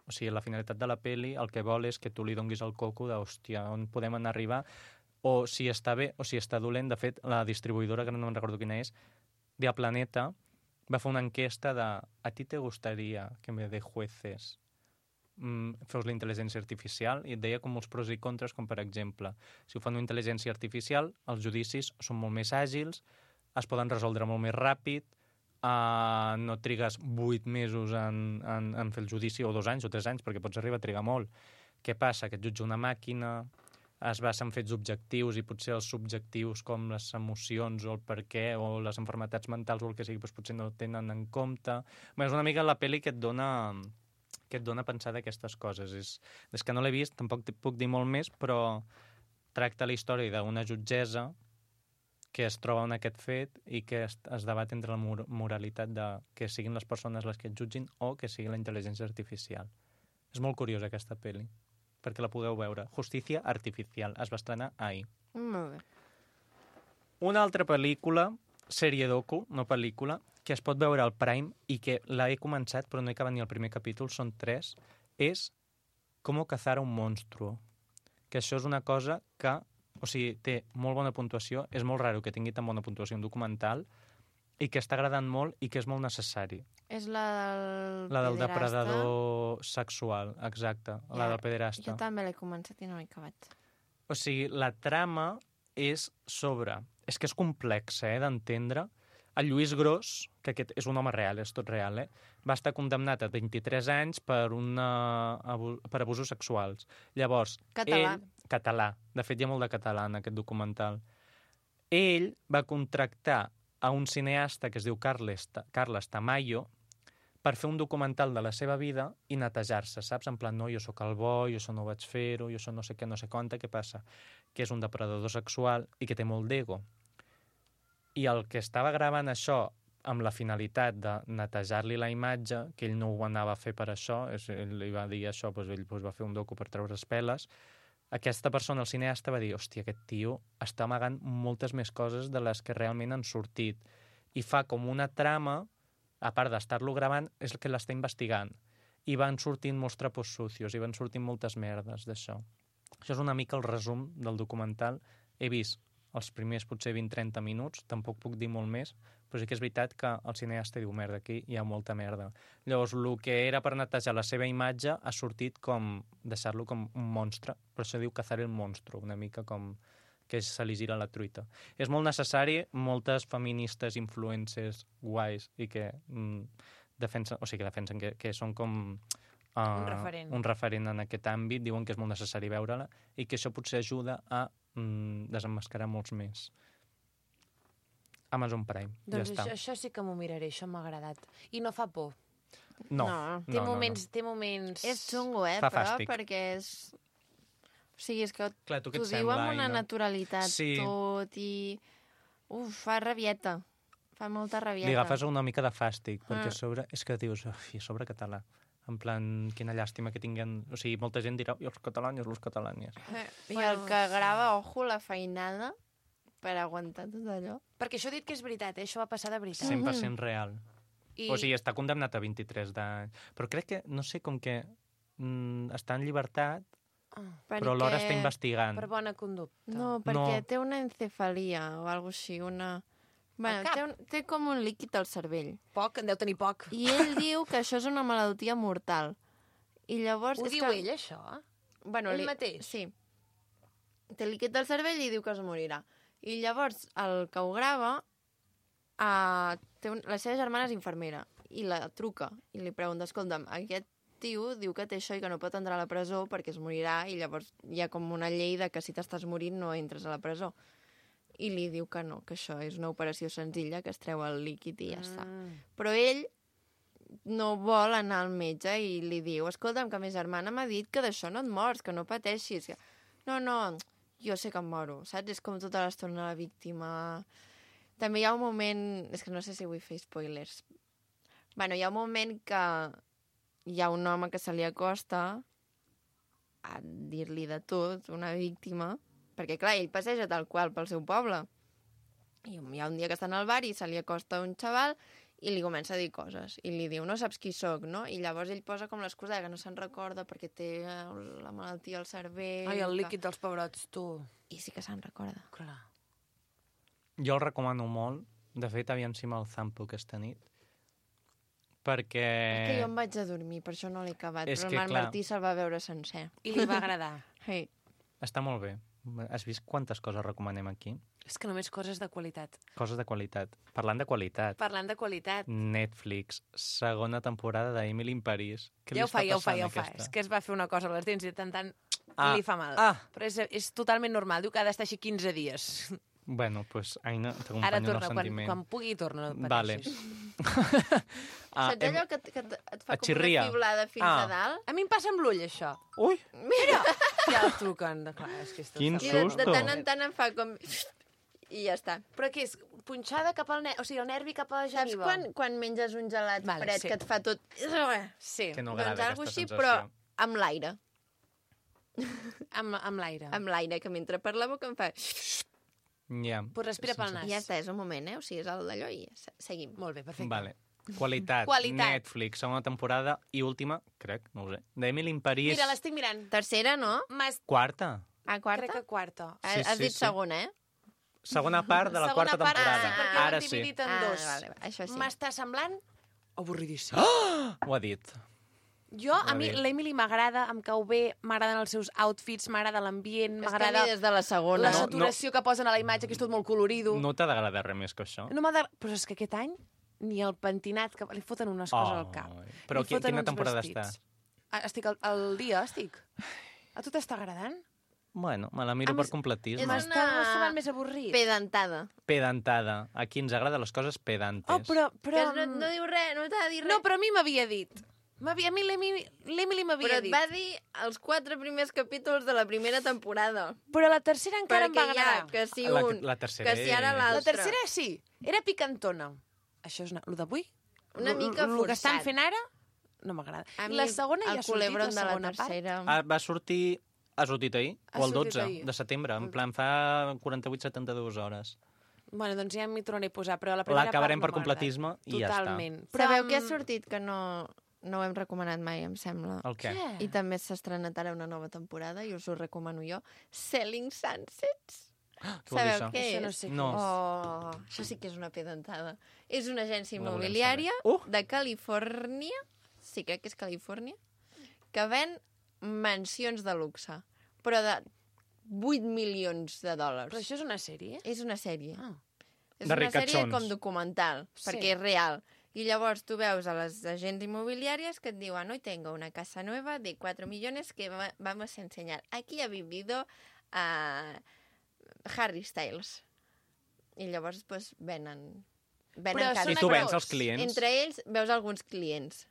o sigui, la finalitat de la pel·li el que vol és que tu li donguis el coco de, hòstia, on podem anar a arribar, o si està bé o si està dolent. De fet, la distribuïdora, que no me'n recordo quina és, de Planeta, va fer una enquesta de ¿a ti te gustaría que en vez de jueces fos la intel·ligència artificial? I et deia com molts pros i contres, com per exemple, si ho fan una intel·ligència artificial, els judicis són molt més àgils, es poden resoldre molt més ràpid, no trigues 8 mesos en fer el judici, o 2 anys o 3 anys, perquè pots arribar a trigar molt. Què passa? Que et jutja una màquina, es basa en fets objectius i potser els subjectius com les emocions o el per què o les malalties mentals o el que sigui, doncs potser no tenen en compte. Bé, és una mica la pel·li que et dona a pensar d'aquestes coses. Des que no l'he vist, tampoc puc dir molt més, però tracta la història d'una jutgessa que es troba en aquest fet i que es debat entre la moralitat de que siguin les persones les que et jutgin o que sigui la intel·ligència artificial. És molt curiosa aquesta pel·li, perquè la pugueu veure. Justicia Artificial. Es va estrenar ahir. Molt bé. Una altra pel·lícula, sèrie docu, no pel·lícula, que es pot veure al Prime i que l'he començat però no he acabat ni el primer capítol, són 3, és Cómo cazar a un monstruo. Que això és una cosa que, o sigui, té molt bona puntuació, és molt raro que tingui tan bona puntuació un documental i que està agradant molt i que és molt necessari. És la del La del pederasta. depredador sexual, exacte, la del pederasta. Jo també l'he començat i no l'he acabat. O sigui, la trama és sobre... És que és complexa, d'entendre. El Lluís Gros, que aquest és un home real, és tot real, va estar condemnat a 23 anys per abusos sexuals. Llavors, Català. Català. De fet, hi ha molt de català en aquest documental. Ell va contractar a un cineasta que es diu Carles Tamayo per fer un documental de la seva vida i netejar-se, saps? En plan, no, jo sóc el bo, jo això no ho vaig fer-ho, jo això no sé què, no sé quanta, què passa? Que és un depredador sexual i que té molt d'ego. I el que estava gravant això amb la finalitat de netejar-li la imatge, que ell no ho anava a fer per això, ell li va dir això, doncs ell va fer un docu per treure peles, aquesta persona, el cineasta, va dir, hòstia, aquest tio està amagant moltes més coses de les que realment han sortit. I fa com una trama, a part d'estar-lo gravant, és el que l'està investigant. i van sortint molts trapos sucios, i van sortint moltes merdes d'això. Això és una mica el resum del documental. He vist els primers potser 20-30 minuts, tampoc puc dir molt més, però sí que és veritat que el cineasta diu, merda, aquí hi ha molta merda. Llavors, el que era per netejar la seva imatge ha sortit com deixar-lo com un monstre, per això diu cazar el monstru, una mica com que se li gira la truita. És molt necessari, moltes feministes influencers guais i que defensen que són com un referent en aquest àmbit, diuen que és molt necessari veure-la i que això potser ajuda a desemmascarar molts més. Amazon Prime, Doncs ja està. això sí que m'ho miraré, això m'ha agradat. I no fa por. No. Té moments... És xungo, Fa però, fàstic. perquè és... O sigui, és que Clar, tu què t'ho et diu sembla, amb una Aina? naturalitat Sí. tot i... Fa rabieta. Fa molta rabieta. Li agafes una mica de fàstic, perquè a sobre és que dius, ui, a sobre català. En plan, quina llàstima que tinguen... O sigui, molta gent dirà, i els catalans. I el que grava, ojo, la feinada per aguantar tot allò. Perquè això he dit que és veritat, això va passar de veritat. 100% real. I... O sigui, està condemnat a 23 d'anys. Però crec que, no sé, com que està en llibertat, però alhora està investigant. Per bona conducta. No, perquè té una encefalia o alguna així, una... Bueno, té com un líquid al cervell. Poc, en deu tenir poc. I ell diu que això és una malaltia mortal. I llavors... Ho diu ell, això? Bueno, ell mateix? Sí. Té líquid al cervell i diu que es morirà. I llavors el que ho grava, la seva germana és infermera i la truca i li pregunta, escolta'm, aquest tio diu que té això i que no pot entrar a la presó perquè es morirà i llavors hi ha com una llei de que si t'estàs morint no entres a la presó. I li diu que no, que això és una operació senzilla, que es treu el líquid i ja està. Però ell no vol anar al metge i li diu, escolta'm, que ma germana m'ha dit que d'això no et mors, que no pateixis. No, jo sé que em moro, saps? És com tota l'estona la víctima. També hi ha un moment... És que no sé si vull fer spoilers. Bueno, hi ha un moment que hi ha un home que se li acosta a dir-li de tot, una víctima, perquè, clar, ell passeja tal qual pel seu poble. I hi ha un dia que està al bar i se li acosta un xaval i li comença a dir coses. I li diu, no saps qui sóc, no? I llavors ell posa com l'excusa que no se'n recorda perquè té la malaltia al cervell. Ai, el líquid dels pebrots, tu. I sí que se'n recorda. Clar. Jo el recomano molt. De fet, aviam si me'l zampo aquesta nit. Perquè... És que jo em vaig a dormir, per això no l'he acabat. És però que, el clar, Martí se'l va veure sencer. I li va agradar. Sí. Està molt bé. Has vist quantes coses recomanem aquí? És que només coses de qualitat. Coses de qualitat. Parlant de qualitat. Parlant de qualitat. Netflix, segona temporada d'Emily in Paris. Què Ja li ho fa. està passant, És que es va fer una cosa a les dents i de tant Ah. li fa mal. Però és totalment normal. Diu que ha d'estar així 15 dies. Bueno, pues, Aina, Ara t'acompanyo en el torna, sentiment. quan pugui torna. No Vale. Saps allò que et fa et com xirria. una fiblada fins a dalt? A mi em passa amb l'ull, això. Ui! Mira! Ja el truquen. Clar, és que és tot Quin I fatal. de tant en tant em fa com... I ja està. Però què és? Punxada cap al nervi, o sigui, el nervi cap a la Saps geniva? quan menges un gelat Vale, fred sí. que et fa tot... Sí, Que no Doncs agrada algo aquesta així, sensació. però amb l'aire. amb l'aire. Amb l'aire, que mentre per la boca em fa... Ja. Pues respira pel nas. I ja està, és un moment, O sigui, és el d'allò i ja seguim. Molt bé, perfecte. Vale. Qualitat. Netflix, segona temporada i última, crec, no ho sé. D'Emily in Paris. Mira, l'estic mirant. Tercera, no? Quarta. Quarta? Crec que quarta. Has dit segona, Segona part de la quarta part, temporada. sí, perquè ho Ara han sí. dividit en dos. Vale, això sí. M'està semblant avorridíssim. Ho ha dit. Jo, a mi, bé. l'Emily m'agrada, em cau bé, m'agraden els seus outfits, m'agrada l'ambient, És que a m'agrada mi des de la segona... la saturació que posen a la imatge, que és tot molt colorido. No t'ha d'agradar res més que això? No m'agrada... Però és que aquest any ni el pentinat, que li foten unes coses al cap. Però Li foten quina uns temporada vestits. està? Estic al dia, estic. A tu t'està agradant? Bueno, me la miro A per més, completisme. és M'està semblant més avorrit. Pedantada. Pedantada. A qui ens agrada les coses pedantes. Oh, però... Que no diu res, no t'ha de dir res. No, però a mi m'havia dit. A mi l'Emily m'havia Però et dit. va dir els 4 primers capítols de la primera temporada. Però la tercera encara em va Perquè hi ha agradar. que si La- un, la tercera que si ara és- La l'altre. tercera sí, era picantona. Això és el d'avui? Una mica El que estan forçat. fent ara no m'agrada. A mi La segona ja el ha sortit, la culebron de la segona part. tercera. Va sortir... Ha sortit ahir? Ha O el sortit 12 ahir. de setembre? En plan, fa 48-72 hores. Bueno, doncs ja m'hi tornaré a posar, però la primera L'acabarem part per no m'ha agradat. completisme i ja està. Totalment. Sabeu què ha sortit que no no ho hem recomanat mai, em sembla. El què? I també s'ha estrenat ara una nova temporada, i us ho recomano jo. Selling Sunsets. Què vol dir això? Sabeu què Això és? no sé què No. Oh, això sí que és una pedantada. És una agència La volem immobiliària saber. de Califòrnia, sí, crec que és Califòrnia, que ven mansions de luxe, però de 8 milions de dòlars. Però això és una sèrie? És una sèrie. Ah. És De una sèrie ricachons. com documental, Sí. perquè és real. I llavors tu veus a les agents immobiliàries que et diuen hoy tengo una casa nueva de 4 millones que vamos a enseñar. Aquí ha vivido Harry Styles. I llavors pues, venen Però cases. I tu vens actors. els clients? Entre ells veus alguns clients.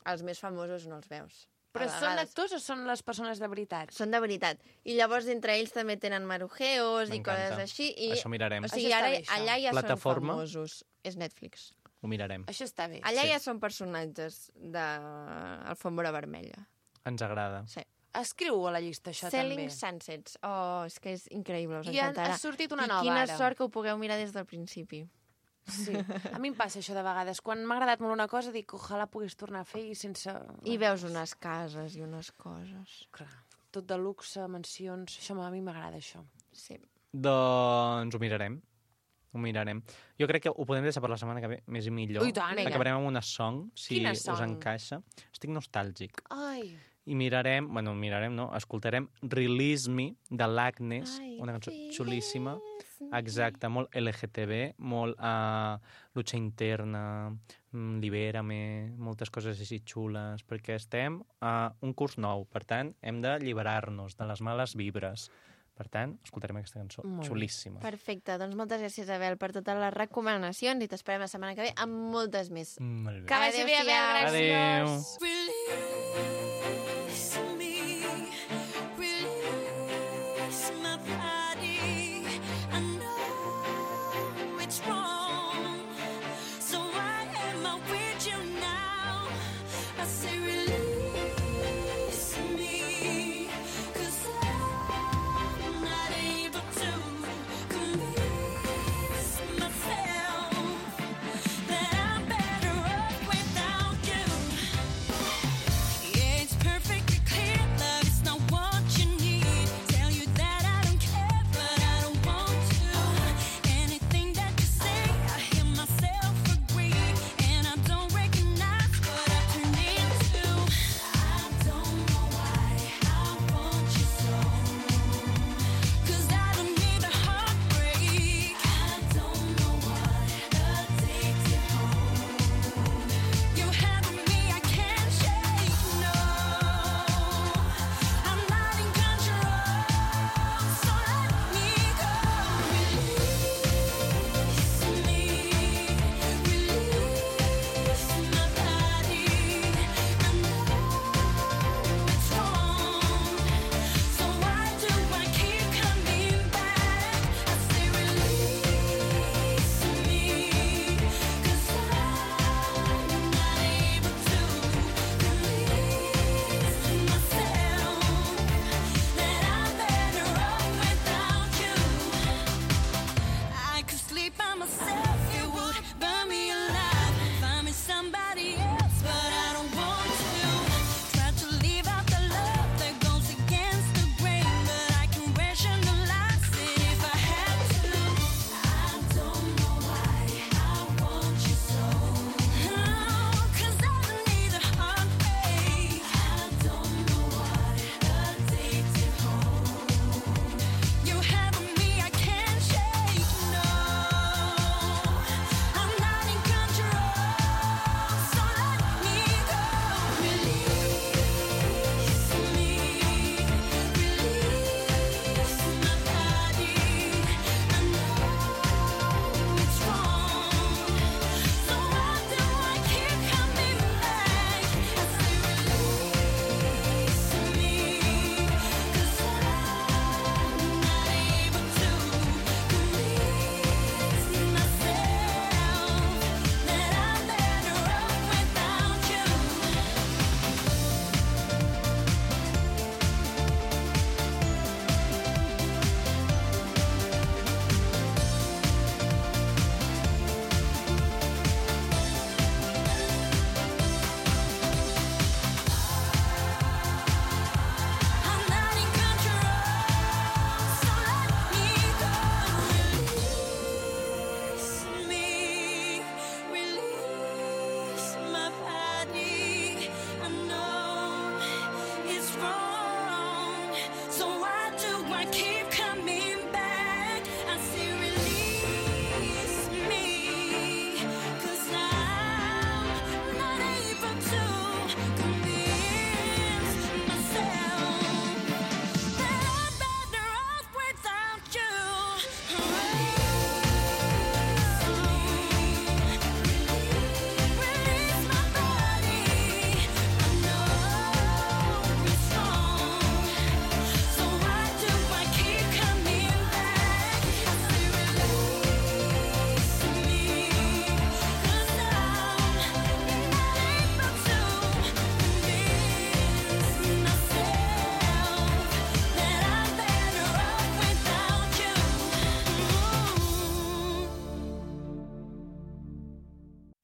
Els més famosos no els veus. Però A són vegades. actors o són les persones de veritat? Són de veritat. I llavors entre ells també tenen marujeos i M'encanta. coses així. I, Això mirarem. o sigui, Això està ara, bé, això. allà ja Plataforma? són famosos. És Netflix. Ho mirarem. Això està bé. Allà Sí. ja són personatges d'Alfombra Vermella. Ens agrada. Sí. Escriu a la llista, això Selling també. Sunsets. Oh, és que és increïble, us I ha encantarà. sortit una I nova quina ara. sort que ho pugueu mirar des del principi. Sí. A mi em passa això de vegades. Quan m'ha agradat molt una cosa, dic, ojalà pogués tornar a fer i sense... I veus unes cases i unes coses. Clar, tot de luxe, mansions... Això a mi m'agrada, això. Sí. Doncs ho mirarem. Ho mirarem. Jo crec que ho podem deixar per la setmana que ve més i millor. Ui, tant. Vinga. Acabarem amb una song, si Quina us song? encaixa. Estic nostàlgic. Ai, I mirarem, no, escoltarem Release Me, de l'Agnes, una cançó xulíssima. Exacte, molt LGTB, molt lucha interna, libérame, moltes coses així xules, perquè estem a un curs nou, per tant, hem d'alliberar-nos de les males vibres. Per tant, escoltarem aquesta cançó Molt bé. xulíssima. Perfecte, doncs moltes gràcies, Abel, per totes les recomanacions i t'esperem la setmana que ve amb moltes més. Molt bé. que vagi bé, Abel, Adéu-siau. gràcies. Release me, release my body. I know it's wrong, so why am I with you now? I say release me, 'cause I'm not able to convince myself that I'm better off without you. Yeah, it's perfectly clear, love is not what you need. Tell you that I don't care, but I don't want to. Anything that you say, I hear myself agree, and I don't recognize what I turned into. I don't know why I want you so, 'cause I don't need a heartbreak. I don't know what addicted home. You have me, I can't shake, no. I'm not in control, so let me go. Release me, release my body. I know it's wrong, so why do I keep coming back? I say release me, 'cause I'm not able to convince myself that I'm better off without you. I could sleep by myself, it would burn me alive. Find me somebody else, but I don't want to. Try to leave out the love that goes against the grain, but I can rationalize it if I had to. I don't know why I want you so. Oh, 'cause I don't need a heartbreak. I don't know what addicted home. You have me, I can't shake, no. I'm not in control,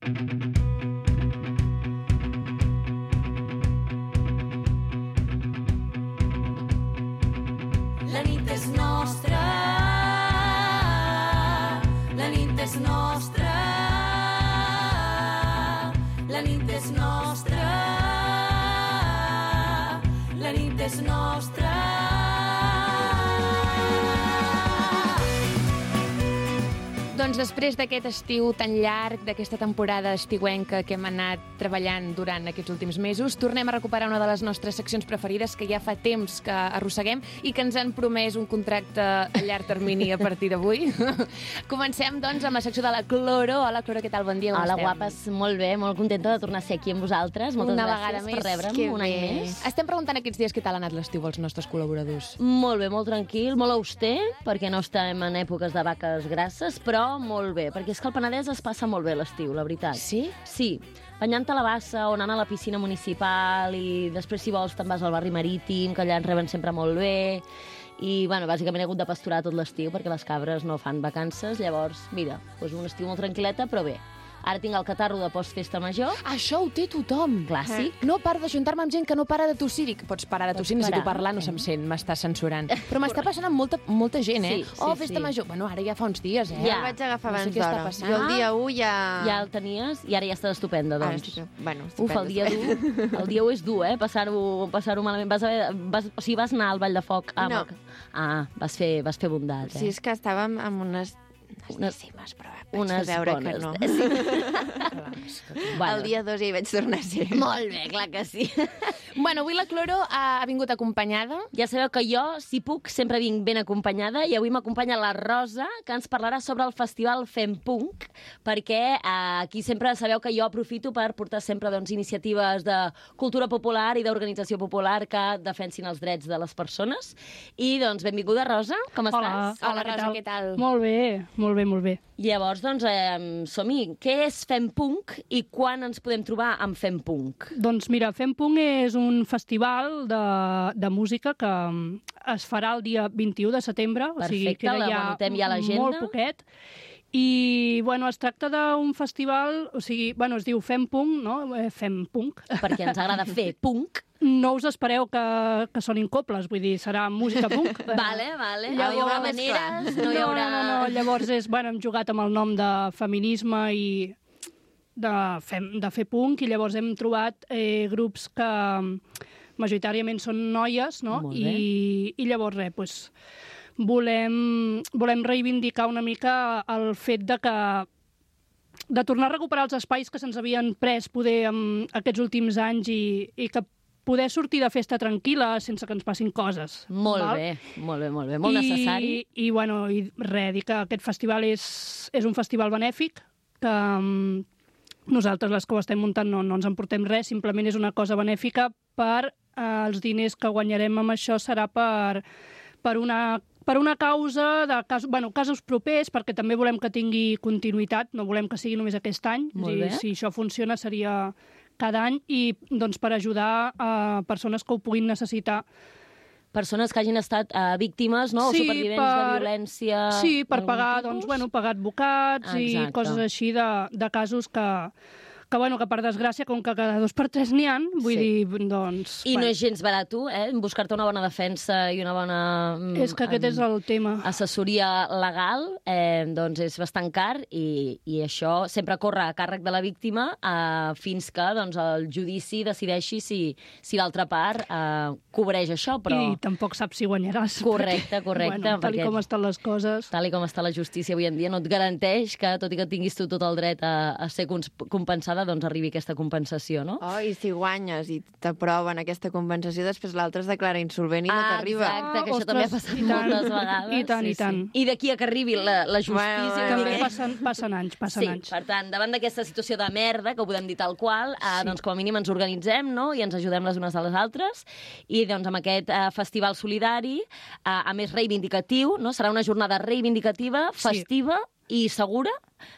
La nit és nostra, la nit és nostra, la nit és nostra, la nit és nostra. Doncs després d'aquest estiu tan llarg, d'aquesta temporada estiuenca que hem anat treballant durant aquests últims mesos, tornem a recuperar una de les nostres seccions preferides que ja fa temps que arrosseguem i que ens han promès un contracte a llarg termini a partir d'avui. Comencem, doncs, amb la secció de la Cloro. Hola, Cloro, què tal? Bon dia, Hola, guapes. Molt bé, molt contenta de tornar a ser aquí amb vosaltres. Moltes una gràcies vegada per més. rebre'm, un any més. Estem preguntant aquests dies què tal ha anat l'estiu als nostres col·laboradors. Molt bé, molt tranquil, molt auster, perquè no estem en èpoques de vaques grasses, però molt bé, perquè és que al Penedès es passa molt bé l'estiu, la veritat. Sí? Sí, banyant a la bassa o anant a la piscina municipal i després, si vols, te'n vas al barri marítim, que allà ens reben sempre molt bé. I, bueno, bàsicament he hagut de pasturar tot l'estiu perquè les cabres no fan vacances, llavors, mira, doncs un estiu molt tranquil·leta, però bé. Ara tinc el catarro de postfesta major. Això ho té tothom. Clàssic. No paro d'ajuntar-me amb gent que no para de tossir. Dic, pots parar de tossir, necessito parar. parlar, no se'm sent, m'està censurant. Però m'està passant amb molta gent, eh? Sí, Festa sí. major. Bueno, ara ja fa uns dies, eh? Ja el vaig agafar No sé abans què està d'hora. passant. Jo el dia 1 ja... Ja el tenies i ara ja està estupenda, Ara doncs. estic... Bueno, Uf, el dia el dia 1 és dur, eh? Passar-ho malament. O sigui, vas anar al Ball de Foc. No. Vas fer bondat, eh? Sí, és que estàvem amb unes décimes, però vaig unes veure bones. que no. Bueno. El dia 2 ja hi vaig tornar a ser. Molt bé, clar que sí. Bueno, avui la Cloro ha vingut acompanyada. Ja sabeu que jo, si puc, sempre vinc ben acompanyada i avui m'acompanya la Rosa, que ens parlarà sobre el festival Fem Punk, perquè aquí sempre sabeu que jo aprofito per portar sempre doncs, iniciatives de cultura popular i d'organització popular que defensin els drets de les persones. I, doncs, benvinguda, Rosa, com estàs? Hola, Rosa, què tal? Molt bé, molt bé, molt bé. Llavors, doncs, som-hi. Què és Fem Punk i quan ens podem trobar amb Fem Punk? Doncs mira, Fem Punk és un festival de música que es farà el dia 21 de setembre, o sigui, Perfecte, queda ja l'anotem ja a l'agenda. molt poquet. I, bueno, es tracta d'un festival, o sigui, bueno, es diu Fem Punk, no? Fem Punk. Perquè ens agrada fer punk. No us espereu que sonin coples, vull dir, serà música punk. Vale. Ja No hi haurà ho veus clar. maneres, no hi haurà... No. Llavors hem jugat amb el nom de feminisme i de fer punk, i llavors hem trobat grups que majoritàriament són noies, no? Molt bé. I llavors doncs, volem reivindicar una mica el fet de tornar a recuperar els espais que se'ns havien pres poder aquests últims anys i que poder sortir de festa tranquil·la sense que ens passin coses. Molt val? bé, molt necessari. I res, dir que aquest festival és un festival benèfic, que nosaltres, les que ho estem muntant, no ens emportem res, simplement és una cosa benèfica per els diners que guanyarem amb això serà per una causa de casos propers, perquè també volem que tingui continuïtat, no volem que sigui només aquest any. Molt bé. Si això funciona seria cada any, i doncs per ajudar a persones que ho puguin necessitar. Persones que hagin estat víctimes, no? Sí, o supervivents de violència... Sí, per d'algun pagar, tipus. pagar advocats i Exacte. coses així de casos que per desgràcia, com que cada 2 per 3 n'hi ha, vull dir, doncs... I no és gens barat, buscar-te una bona defensa i una bona... És que aquest és el tema. Assessoria legal, doncs és bastant car i això sempre corre a càrrec de la víctima fins que doncs, el judici decideixi si l'altra part cobreix això, però... I tampoc saps si guanyaràs. Correcte. Bueno, tal com estan les coses... Tal com està la justícia avui en dia, no et garanteix que, tot i que tinguis tu tot el dret a ser compensada, doncs arribi aquesta compensació, no? Oh, i si guanyes i t'aproven aquesta compensació, després l'altre es declara insolvent i no t'arriba. Exacte, que això també ha passat moltes vegades. I tant, i tant. I d'aquí a que arribi la justícia... Bueno, També passen anys. anys. Per tant, davant d'aquesta situació de merda, que ho podem dir tal qual, doncs com a mínim ens organitzem, no?, i ens ajudem les unes a les altres, i doncs amb aquest festival solidari, a més reivindicatiu, no?, serà una jornada reivindicativa, festiva i segura,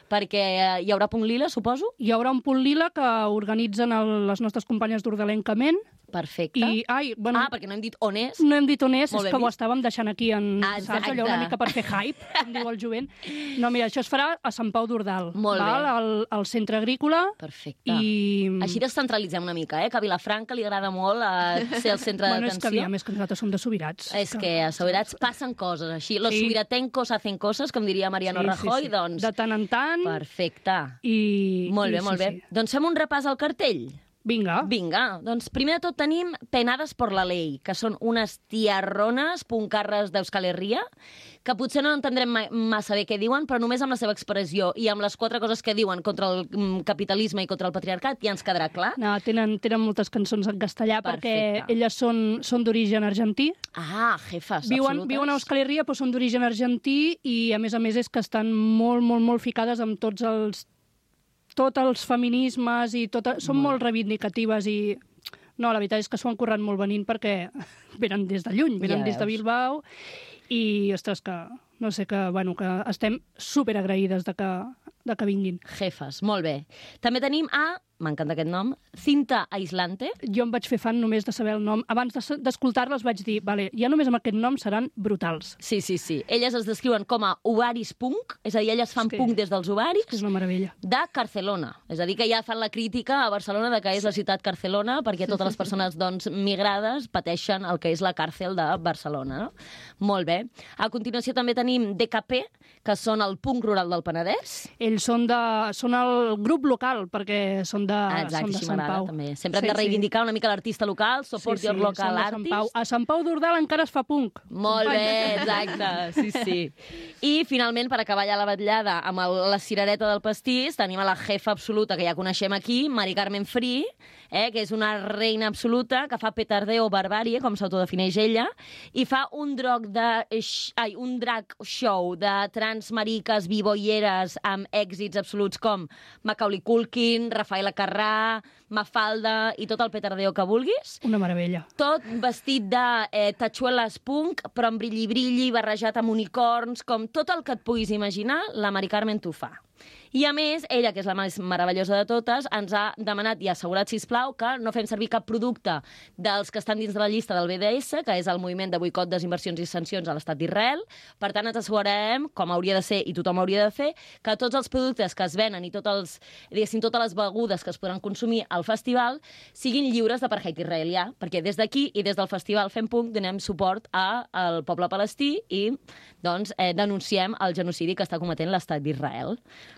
perquè hi haurà Punt Lila, suposo? Hi haurà un Punt Lila que organitzen les nostres companyes d'Ordalenca Ment, Perfecte. Bueno, perquè no hem dit on és. no hem dit on és, Molt és bé, que ho estàvem deixant aquí en, Exacte. saps, allò una mica per fer hype, com diu el jovent. No, mira, això es farà a Sant Pau d'Ordal, Molt bé. al centre agrícola. Perfecte. I... Així descentralitzem una mica, que a Vilafranca li agrada molt ser el centre Bueno, és que d'atenció. aviam, és que nosaltres som de Subirats. És que a Subirats passen coses així. Los subiratencos hacen coses, com diria Mariano Rajoy, doncs... De tant en tant. Perfecte. Molt bé, molt bé. Sí. Doncs fem un repàs al cartell. Vinga. Doncs primer de tot tenim Penadas por la Ley, que són unes tiarrones puncarres d'Euskal Herria, que potser no entendrem massa bé què diuen, però només amb la seva expressió i amb les 4 coses que diuen contra el capitalisme i contra el patriarcat ja ens quedarà clar. No, tenen moltes cançons en castellà. Perfecte. Perquè elles són d'origen argentí. Jefes, Viuen absolutes. a Euskal Herria, però són d'origen argentí i, a més és que estan molt, molt, molt ficades amb tots els feminismes i són molt reivindicatives i... No, la veritat és que s'ho han currat molt venint perquè venen des de lluny, venen des de Bilbao i, ostres, que no sé, que estem superagraïdes de que vinguin. Jefes, molt bé. També tenim m'encanta aquest nom, Cinta Aislante. Jo em vaig fer fan només de saber el nom. Abans d'escoltar-les vaig dir, vale, ja només amb aquest nom seran brutals. Sí. Elles es descriuen com a ovaris punk, és a dir, elles fan punk des dels ovaris. És una meravella. De Barcelona. És a dir, que ja fan la crítica a Barcelona de que és la ciutat Barcelona, perquè totes les persones migrades pateixen el que és la càrcel de Barcelona. No? Molt bé. A continuació també tenim DKP, que són el punk rural del Penedès. Ells són el grup local, perquè són de Sant Pau. També. Sempre hem de reivindicar una mica l'artista local, support your local artist. A Sant Pau d'Ordal encara es fa punk. Molt bé, exacte, sí. I finalment, per acabar ja la vetllada amb la cirereta del pastís, tenim a la jefa absoluta que ja coneixem aquí, Mari Carmen Free, que és una reina absoluta, que fa petardeo barbàrie, com s'autodefineix ella, i fa un drag show de trans mariques biboieres amb èxits absoluts com Macaulay Culkin, Rafaela Carrà, Mafalda i tot el petardeo que vulguis. Una meravella. Tot vestit de tachuelas punk, però amb brilli-brilli, barrejat amb unicorns, com tot el que et puguis imaginar, la Mari Carmen t'ho fa. I a més, ella, que és la més meravellosa de totes, ens ha demanat i assegurat, sisplau, que no fem servir cap producte dels que estan dins de la llista del BDS, que és el moviment de boicot, desinversions i sancions a l'estat d'Israel. Per tant, ens assegurarem, com hauria de ser i tothom hauria de fer, que tots els productes que es venen i totes les begudes que es podran consumir al festival siguin lliures d'apartheid israelià, perquè des d'aquí i des del festival Fem Punk donem suport al poble palestí i doncs, denunciem el genocidi que està cometent l'estat d'Israel.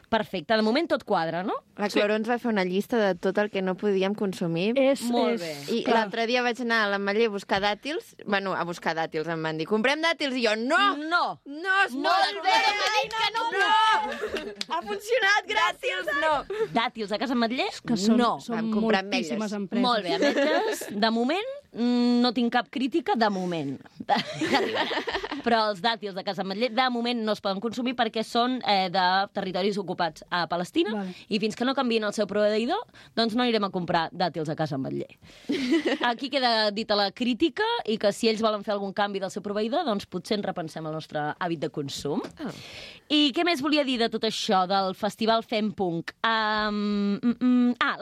Perfecte, de moment tot quadra, no? La Cloro ens va fer una llista de tot el que no podíem consumir. Molt bé. I l'altre dia vaig anar a l'Ametller a buscar dàtils. Bueno, a buscar dàtils, em van dir, comprem dàtils, i jo, no! No es poden bé, que no! Ha funcionat, gràcies! No! Dàtils a Casa Ametller? Que són Vam comprar moltíssimes ametlles. empreses. Molt bé, ametlles, de moment no tinc cap crítica, de moment. Però els dàtils de Casa Ametller de moment no es poden consumir perquè són de territoris ocupats a Palestina. Vale. I fins que no canviïn el seu proveïdor, doncs no anirem a comprar dàtils a Casa Ametller. Aquí queda dita la crítica i que si ells volen fer algun canvi del seu proveïdor, doncs potser ens repensem el nostre hàbit de consum. I què més volia dir de tot això, del festival Fem Punk?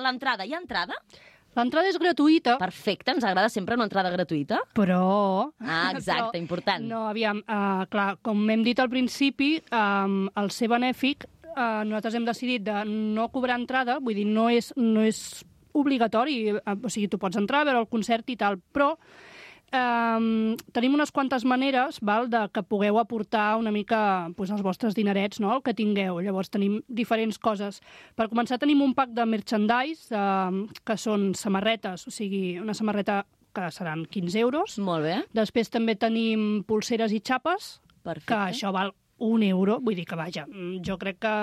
L'entrada. Hi ha entrada? L'entrada és gratuïta, Perfecte, ens agrada sempre una entrada gratuïta. però... Exacte, important. No, aviam, clar, com hem dit al principi, al ser benèfic, nosaltres hem decidit de no cobrar entrada, vull dir, no és obligatori, o sigui, tu pots entrar a veure el concert i tal, però tenim unes quantes maneres de que pugueu aportar una mica els vostres dinerets, no?, el que tingueu. Llavors tenim diferents coses. Per començar tenim un pack de merchandise que són samarretes, o sigui, una samarreta que seran 15 euros. Molt bé. Després també tenim pulseres i xapes, Perfecte. que això val 1 euro. Vull dir que, vaja, jo crec que...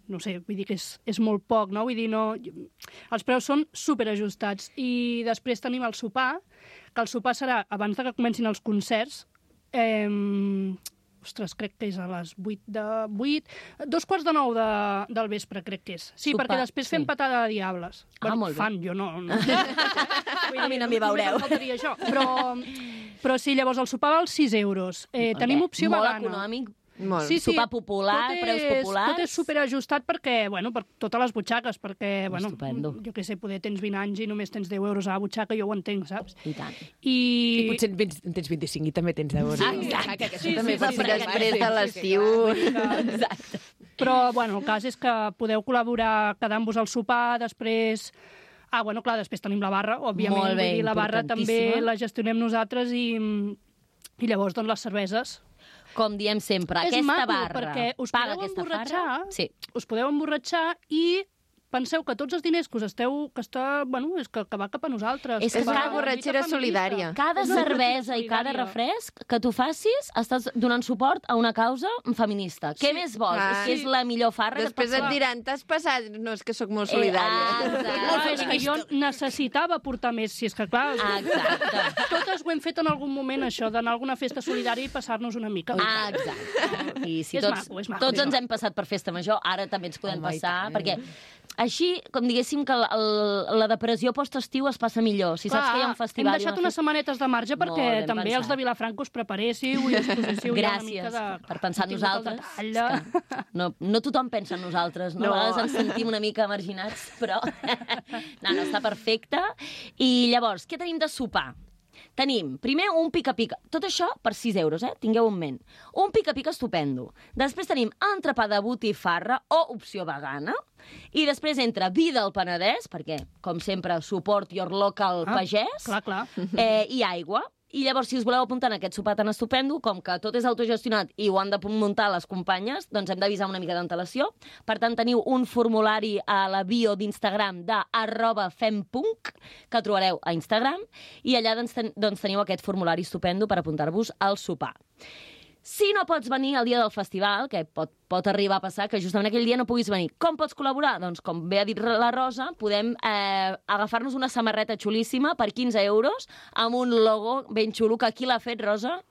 No sé, vull dir que és molt poc, no? Vull dir, no... Els preus són superajustats. I després tenim el sopar, que el sopar serà abans de que comencin els concerts. Ostres, crec que és a les 8:45 del vespre, crec que és. Sí, Sopar, perquè després fem patada de diables. Molt bé. Fan, jo no. A mi no m'hi veureu. Només em faltaria això. Però sí, llavors el sopar val 6 euros. Tenim opció Molt vegana. econòmic. Molt. Sí, Sopar popular, preus populars. Tot és superajustat perquè, bueno, per totes les butxaques, perquè, bueno, Estupendo. jo què sé, poder tens 20 anys i només tens 10 euros a la butxaca, jo ho entenc, saps? I tant. I potser en tens 25 i també tens 10 euros. Exacte. Sí, després de l'estiu. Exacte. Però, bueno, el cas és que podeu col·laborar quedant-vos al sopar, després... bueno, clar, després tenim la barra, òbviament. Molt bé, vull dir, la barra també importantíssima. la gestionem nosaltres i llavors, doncs, les cerveses. Com diem sempre, És aquesta maco, barra perquè us paga podeu aquesta emborratxar, farra. Sí. us podeu emborratxar i penseu que tots els diners que us esteu... és que va cap a nosaltres. És que va cada a la borratxera lluita feminista. solidària. Cada És una cervesa i cada solidària. refresc que tu facis estàs donant suport a una causa feminista. Què més vols? És que és la millor farra Després que et et pots diran, t'has passat? No, és que sóc molt solidària. No, és que jo necessitava portar més, si és que clar... Exacte. Totes ho hem fet en algun moment, això, d'anar a alguna festa solidària i passar-nos una mica. Exacte. I si És tots, maco, és maco, tots és ens maco. hem passat per festa major, ara també ens podem Home, i passar, tant. perquè així, com diguéssim, que la depressió post-estiu es passa millor. Si saps que hi ha un festival... Hem deixat unes setmanetes de marge perquè Molt ben també els pensat. de Vilafranca us preparéssiu i us poséssiu ja una Gràcies mica de... per pensar en tingut el nosaltres. detall És que no tothom pensa en nosaltres, no? No. A vegades ens sentim una mica marginats, però... no, està perfecte. I llavors, què tenim de sopar? Tenim, primer, un pica-pica. Tot això per 6 euros, tingueu en ment. Un pica-pica estupendo. Després tenim entrepà de botifarra o opció vegana. I després entra vi del Penedès, perquè, com sempre, support your local pagès. Clar. I aigua. I llavors, si us voleu apuntar en aquest sopar tan estupendo, com que tot és autogestionat i ho han de muntar les companyes, doncs hem d'avisar una mica d'antelació. Per tant, teniu un formulari a la bio d'Instagram de @fempunk, que trobareu a Instagram, i allà doncs teniu aquest formulari estupendo per apuntar-vos al sopar. Si no pots venir el dia del festival, que pot arribar a passar que justament aquell dia no puguis venir, com pots col·laborar? Doncs, com bé ha dit la Rosa, podem agafar-nos una samarreta xulíssima per 15 euros amb un logo ben xulo, que aquí l'ha fet, Rosa?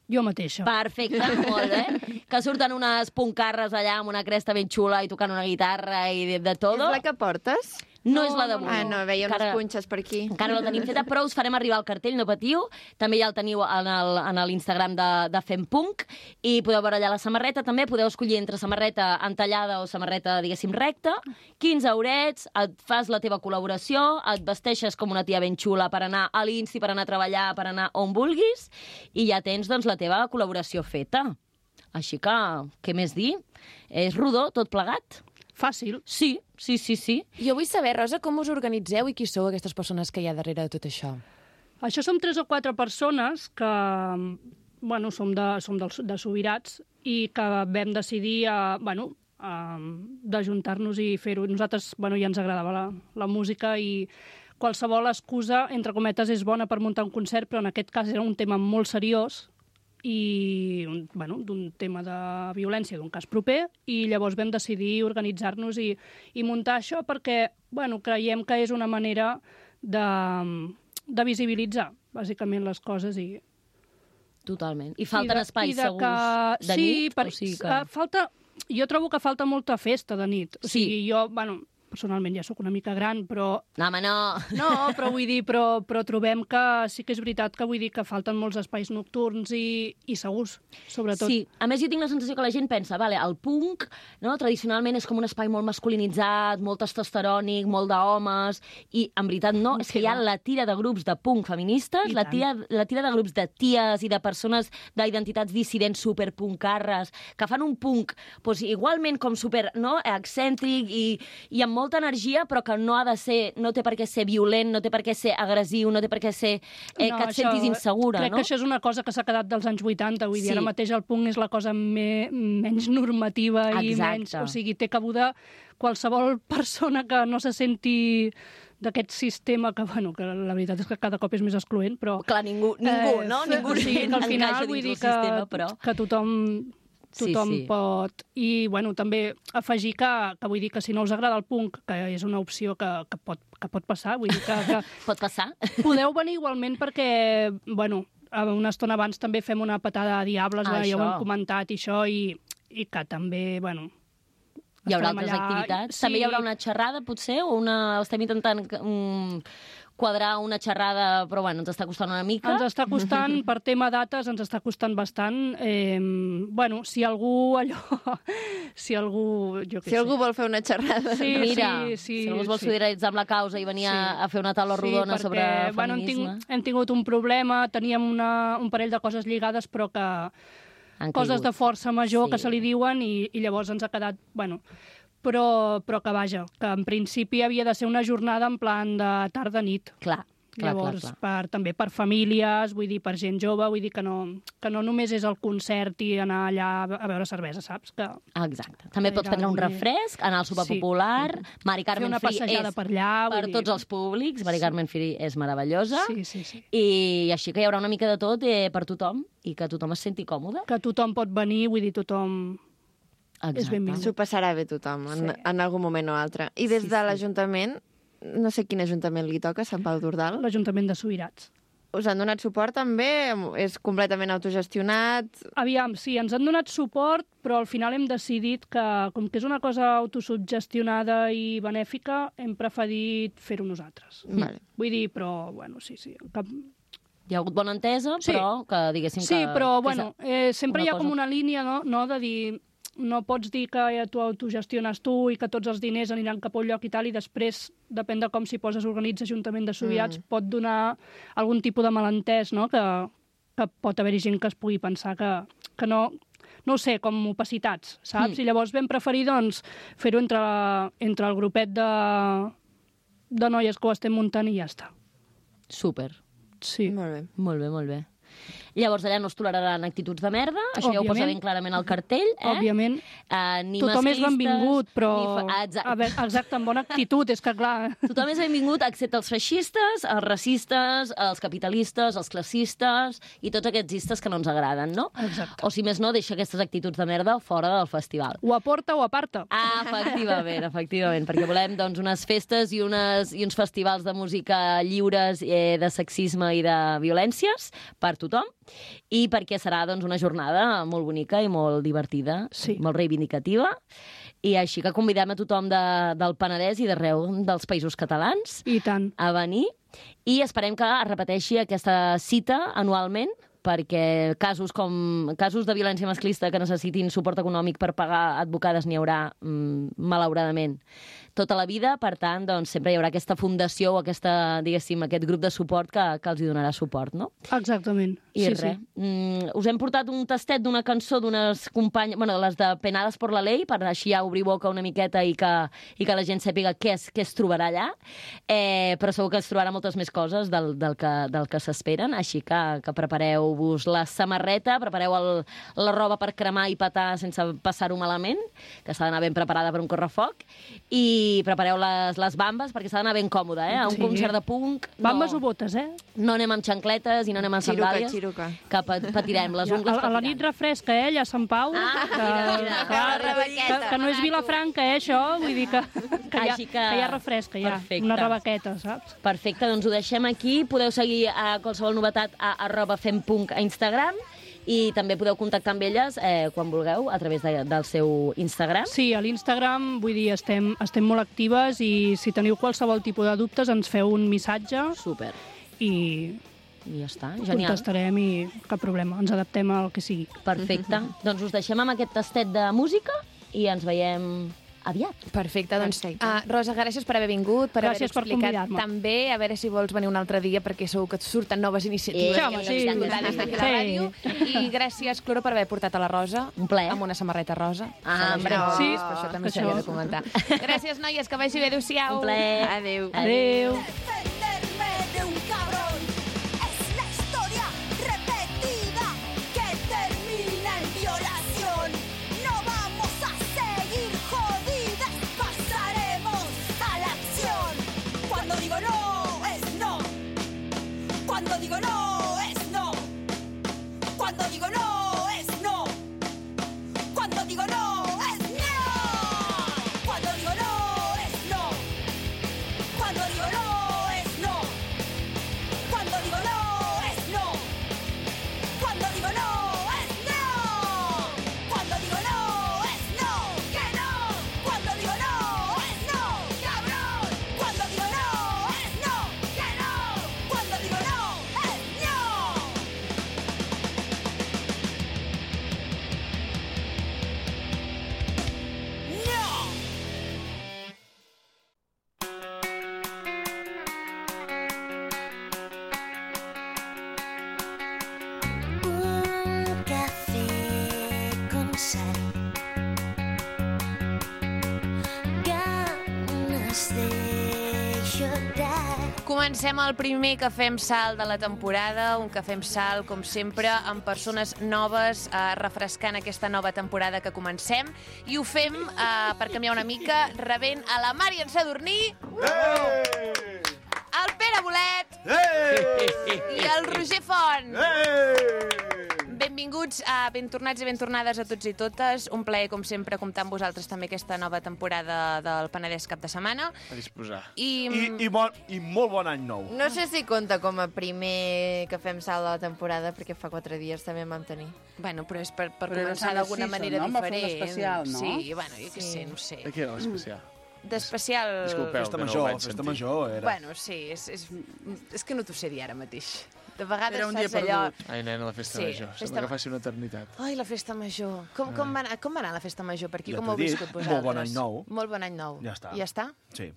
Jo mateixa. Perfecte, molt bé. Que surten unes puncarres allà amb una cresta ben xula i tocant una guitarra i de tot. És la que portes? No és la d'avui. No, veiem les punxes per aquí. Encara no la tenim feta, però us farem arribar el cartell, no patiu. També ja el teniu en l'Instagram de Fempunk i podeu veure allà la samarreta. També podeu escollir entre samarreta entallada o samarreta, diguéssim, recta. 15 eurets, et fas la teva col·laboració, et vesteixes com una tia ben xula per anar a l'Insti, per anar a treballar, per anar on vulguis, i ja tens doncs, la teva col·laboració feta. Així que, què més dir? És rodó, tot plegat? Fàcil. Sí. Jo vull saber, Rosa, com us organitzeu i qui sou aquestes persones que hi ha darrere de tot això? Això som 3 o 4 persones que, bueno, som de Subirats i que vam decidir, d'ajuntar-nos i fer-ho. Nosaltres, ja ens agradava la música i qualsevol excusa, entre cometes, és bona per muntar un concert, però en aquest cas era un tema molt seriós i d'un tema de violència, d'un cas proper, i llavors vam decidir organitzar-nos i muntar això perquè creiem que és una manera de visibilitzar, bàsicament, les coses. Totalment. I falten espais segurs de nit? Sí, jo trobo que falta molta festa de nit. O sigui, Sí. jo, personalment ja sóc una mica gran, però... No, home, no. No, però vull dir, però trobem que sí que és veritat que vull dir que falten molts espais nocturns i segurs, sobretot. Sí, a més jo tinc la sensació que la gent pensa, el punk, no, tradicionalment és com un espai molt masculinitzat, molt testosterònic, molt d'homes, i en veritat no, és que hi ha la tira de grups de punk feministes, la tira de grups de ties i de persones d'identitats dissidents superpuncarres, que fan un punk igualment com super excèntric i amb molta energia, però que no té per què ser violent, no té per què ser agressiu, no té per què ser que et sentis insegura, crec no? que això és una cosa que s'ha quedat dels anys 80, vull dir, ara mateix el punk és la cosa menys normativa i menys... O sigui, té cabuda qualsevol persona que no se senti d'aquest sistema que la veritat és que cada cop és més excloent, però... Clar, ningú, no? Ningú o sigui, que al final vull dir que tothom pot. I, també afegir que vull dir que si no us agrada el punk, que és una opció que pot passar, vull dir que Pot passar? podeu venir igualment perquè, una estona abans també fem una patada de diables, ja ho hem comentat, i això, i que també, hi haurà altres activitats? Sí. També hi haurà una xerrada, potser? O estem intentant quadrar una xerrada, però bueno, ens està costant una mica. Ens està costant, per tema dates, ens està costant bastant. Bueno, si algú si algú vol fer una xerrada... Mira, si algú es vol solidaritzar amb la causa i venir a fer una taula rodona sobre feminisme... hem tingut un problema, teníem un parell de coses lligades, però que... coses de força major que se li diuen i llavors ens ha quedat... Bueno, però que vaja, que en principi havia de ser una jornada en plan de tarda-nit. Clar. Llavors, també per famílies, vull dir, per gent jove, vull dir que no només és el concert i anar allà a beure cervesa, saps? Exacte. També pots prendre un refresc, anar al sopar popular, Mari Carmen Free és per allà, per tots els públics, Mari Carmen Free és meravellosa, sí. I així que hi haurà una mica de tot per tothom i que tothom es senti còmode. Que tothom pot venir, vull dir, tothom... és benvingut. S'ho passarà bé tothom, en algun moment o altre. I des de l'Ajuntament, no sé quin ajuntament li toca, Sant Pau d'Ordal? L'Ajuntament de Subirats. Us han donat suport també? És completament autogestionat? Aviam, sí, ens han donat suport, però al final hem decidit que, com que és una cosa autosubgestionada i benèfica, hem preferit fer-ho nosaltres. Vale. Vull dir, però, bueno, sí. Hi ha hagut bona entesa, però que diguéssim que... Sí, però, bueno, sempre hi ha com una línia, no?, de dir... No pots dir que tu autogestiones tu i que tots els diners aniran cap a un lloc i tal, i després, depèn de com s'hi poses, organitza Ajuntament de Subirats, pot donar algun tipus de malentès, no?, que pot haver-hi gent que es pugui pensar que no ho sé, com opacitats, saps? I llavors vam preferir, doncs, fer-ho entre el grupet de noies que ho estem muntant i ja està. Súper. Sí. Molt bé. Llavors allà no es toleraran actituds de merda, això ja ho posa ben clarament al cartell, Òbviament. Ni tothom masclistes... és benvingut, però... Exacte, amb bona actitud, és que clar... Tothom és benvingut, excepte els feixistes, els racistes, els capitalistes, els classistes i tots aquests istes que no ens agraden, no? Exacte. O si més no, deixa aquestes actituds de merda fora del festival. O aporta o aparta. Efectivament, perquè volem doncs, unes festes i uns festivals de música lliures de sexisme i de violències per tothom, i perquè serà doncs, una jornada molt bonica i molt divertida, molt reivindicativa, i així que convidem a tothom del Penedès i d'arreu dels països catalans I tant. A venir, i esperem que es repeteixi aquesta cita anualment, perquè casos de violència masclista que necessitin suport econòmic per pagar advocades n'hi haurà, malauradament, tota la vida. Per tant, doncs, sempre hi haurà aquesta fundació o aquest grup de suport que els hi donarà suport, no? Exactament. I res. Us hem portat un tastet d'una cançó d'unes companyes, bueno, les de Penades por la Ley, per així ja obrir boca una miqueta i que la gent sàpiga què es trobarà allà, però segur que es trobarà moltes més coses del que s'esperen, així que prepareu-vos la samarreta, prepareu la roba per cremar i petar sense passar-ho malament, que s'ha d'anar ben preparada per un correfoc, i prepareu les bambes, perquè s'ha d'anar ben còmode, a un concert de punk. Bambes o botes, No anem amb xancletes i no anem amb sandàlies. Xiruca. Que patirem, les ungles a la nit refresca, allà a Sant Pau, que no és Vilafranca, això, vull dir que hi ha refresca, ja, una rebequeta, saps? Perfecte, doncs ho deixem aquí. Podeu seguir a qualsevol novetat a @fempunk a Instagram, i també podeu contactar amb elles quan vulgueu a través del seu Instagram. Sí, a l'Instagram, vull dir, estem molt actives, i si teniu qualsevol tipus de dubtes ens feu un missatge. Super. I ja està, genial. Contestarem i cap problema, ens adaptem al que sigui. Perfecte. Doncs us deixem amb aquest tastet de música i ens veiem aviat. Perfecte, doncs, Rosa, gràcies per haver vingut, per haver explicat també, a veure si vols venir un altre dia, perquè segur que et surten noves iniciatives sí. I gràcies, Cloro, per haver portat a la Rosa un plaer. Amb una samarreta rosa. Bravo. Sí, per això també s'havia de comentar. Gràcies, noies, que vagi bé, adéu-siau. Un plaer. Adéu. Adéu. Defenderme de un cabrón es la historia repetida que termina en violación. No vamos a seguir jodidas, pasaremos a la acción. Cuando digo no, es no. Cuando digo no, es no. Cuando digo no, es no. Cuando digo no, es no. Cuando digo no, es no. Cuando digo no, es no. guess they should die. Comencem el primer Cafè amb Sal de la temporada, un Cafè amb Sal, com sempre, amb persones noves, refrescant aquesta nova temporada que comencem, i ho fem, per canviar una mica, rebent a la Marian Sadurní, el Pere Bolet i el Roger Font. Benvinguts, ben tornats i ben tornades a tots i totes. Un plaer, com sempre, comptar amb vosaltres també aquesta nova temporada del Penedès cap de setmana. A disposar. I molt bon any nou. No sé si compta com a primer que fem salt de la temporada, perquè fa 4 dies també en vam tenir. Bueno, però és per Però començar era d'alguna Sant manera Narciso, no? Va diferent. fer un especial, no? Sí, bueno, jo què sé, no sé. De què era l'especial? D'especial... Disculpeu, Festa que no ho major, vaig festa sentir. major era. Bueno, sí, és que no t'ho sé dir ara mateix. De vegades Era un dia saps allò... perdut. Ai, nena, la festa Sí, major. festa- Sembla que faci una eternitat. Ai, la festa major. Com va anar la festa major per aquí? Ja Com t'he ho heu dit, viscut molt vosaltres? bon any nou. Molt bon any nou. Ja està. I ja està? Sí.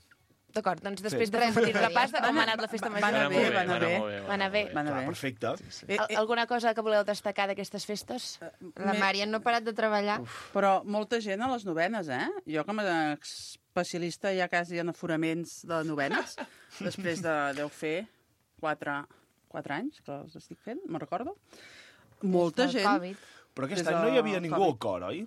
D'acord, doncs després Sí. de fer un petit repàs de com ha anat la festa Va major. anar bé, va anar bé. Va anar bé. Va anar Clar, bé. perfecte. Alguna cosa que voleu destacar d'aquestes festes? La Marian no ha parat de treballar. Però molta gent a les novenes, eh? Jo com a especialista ja quasi en aforaments de novenes, després deu fer 4 anys que els estic fent, me'n recordo. Molta Del gent... Covid. Però aquest Des any no hi havia del ningú Covid. al cor, oi?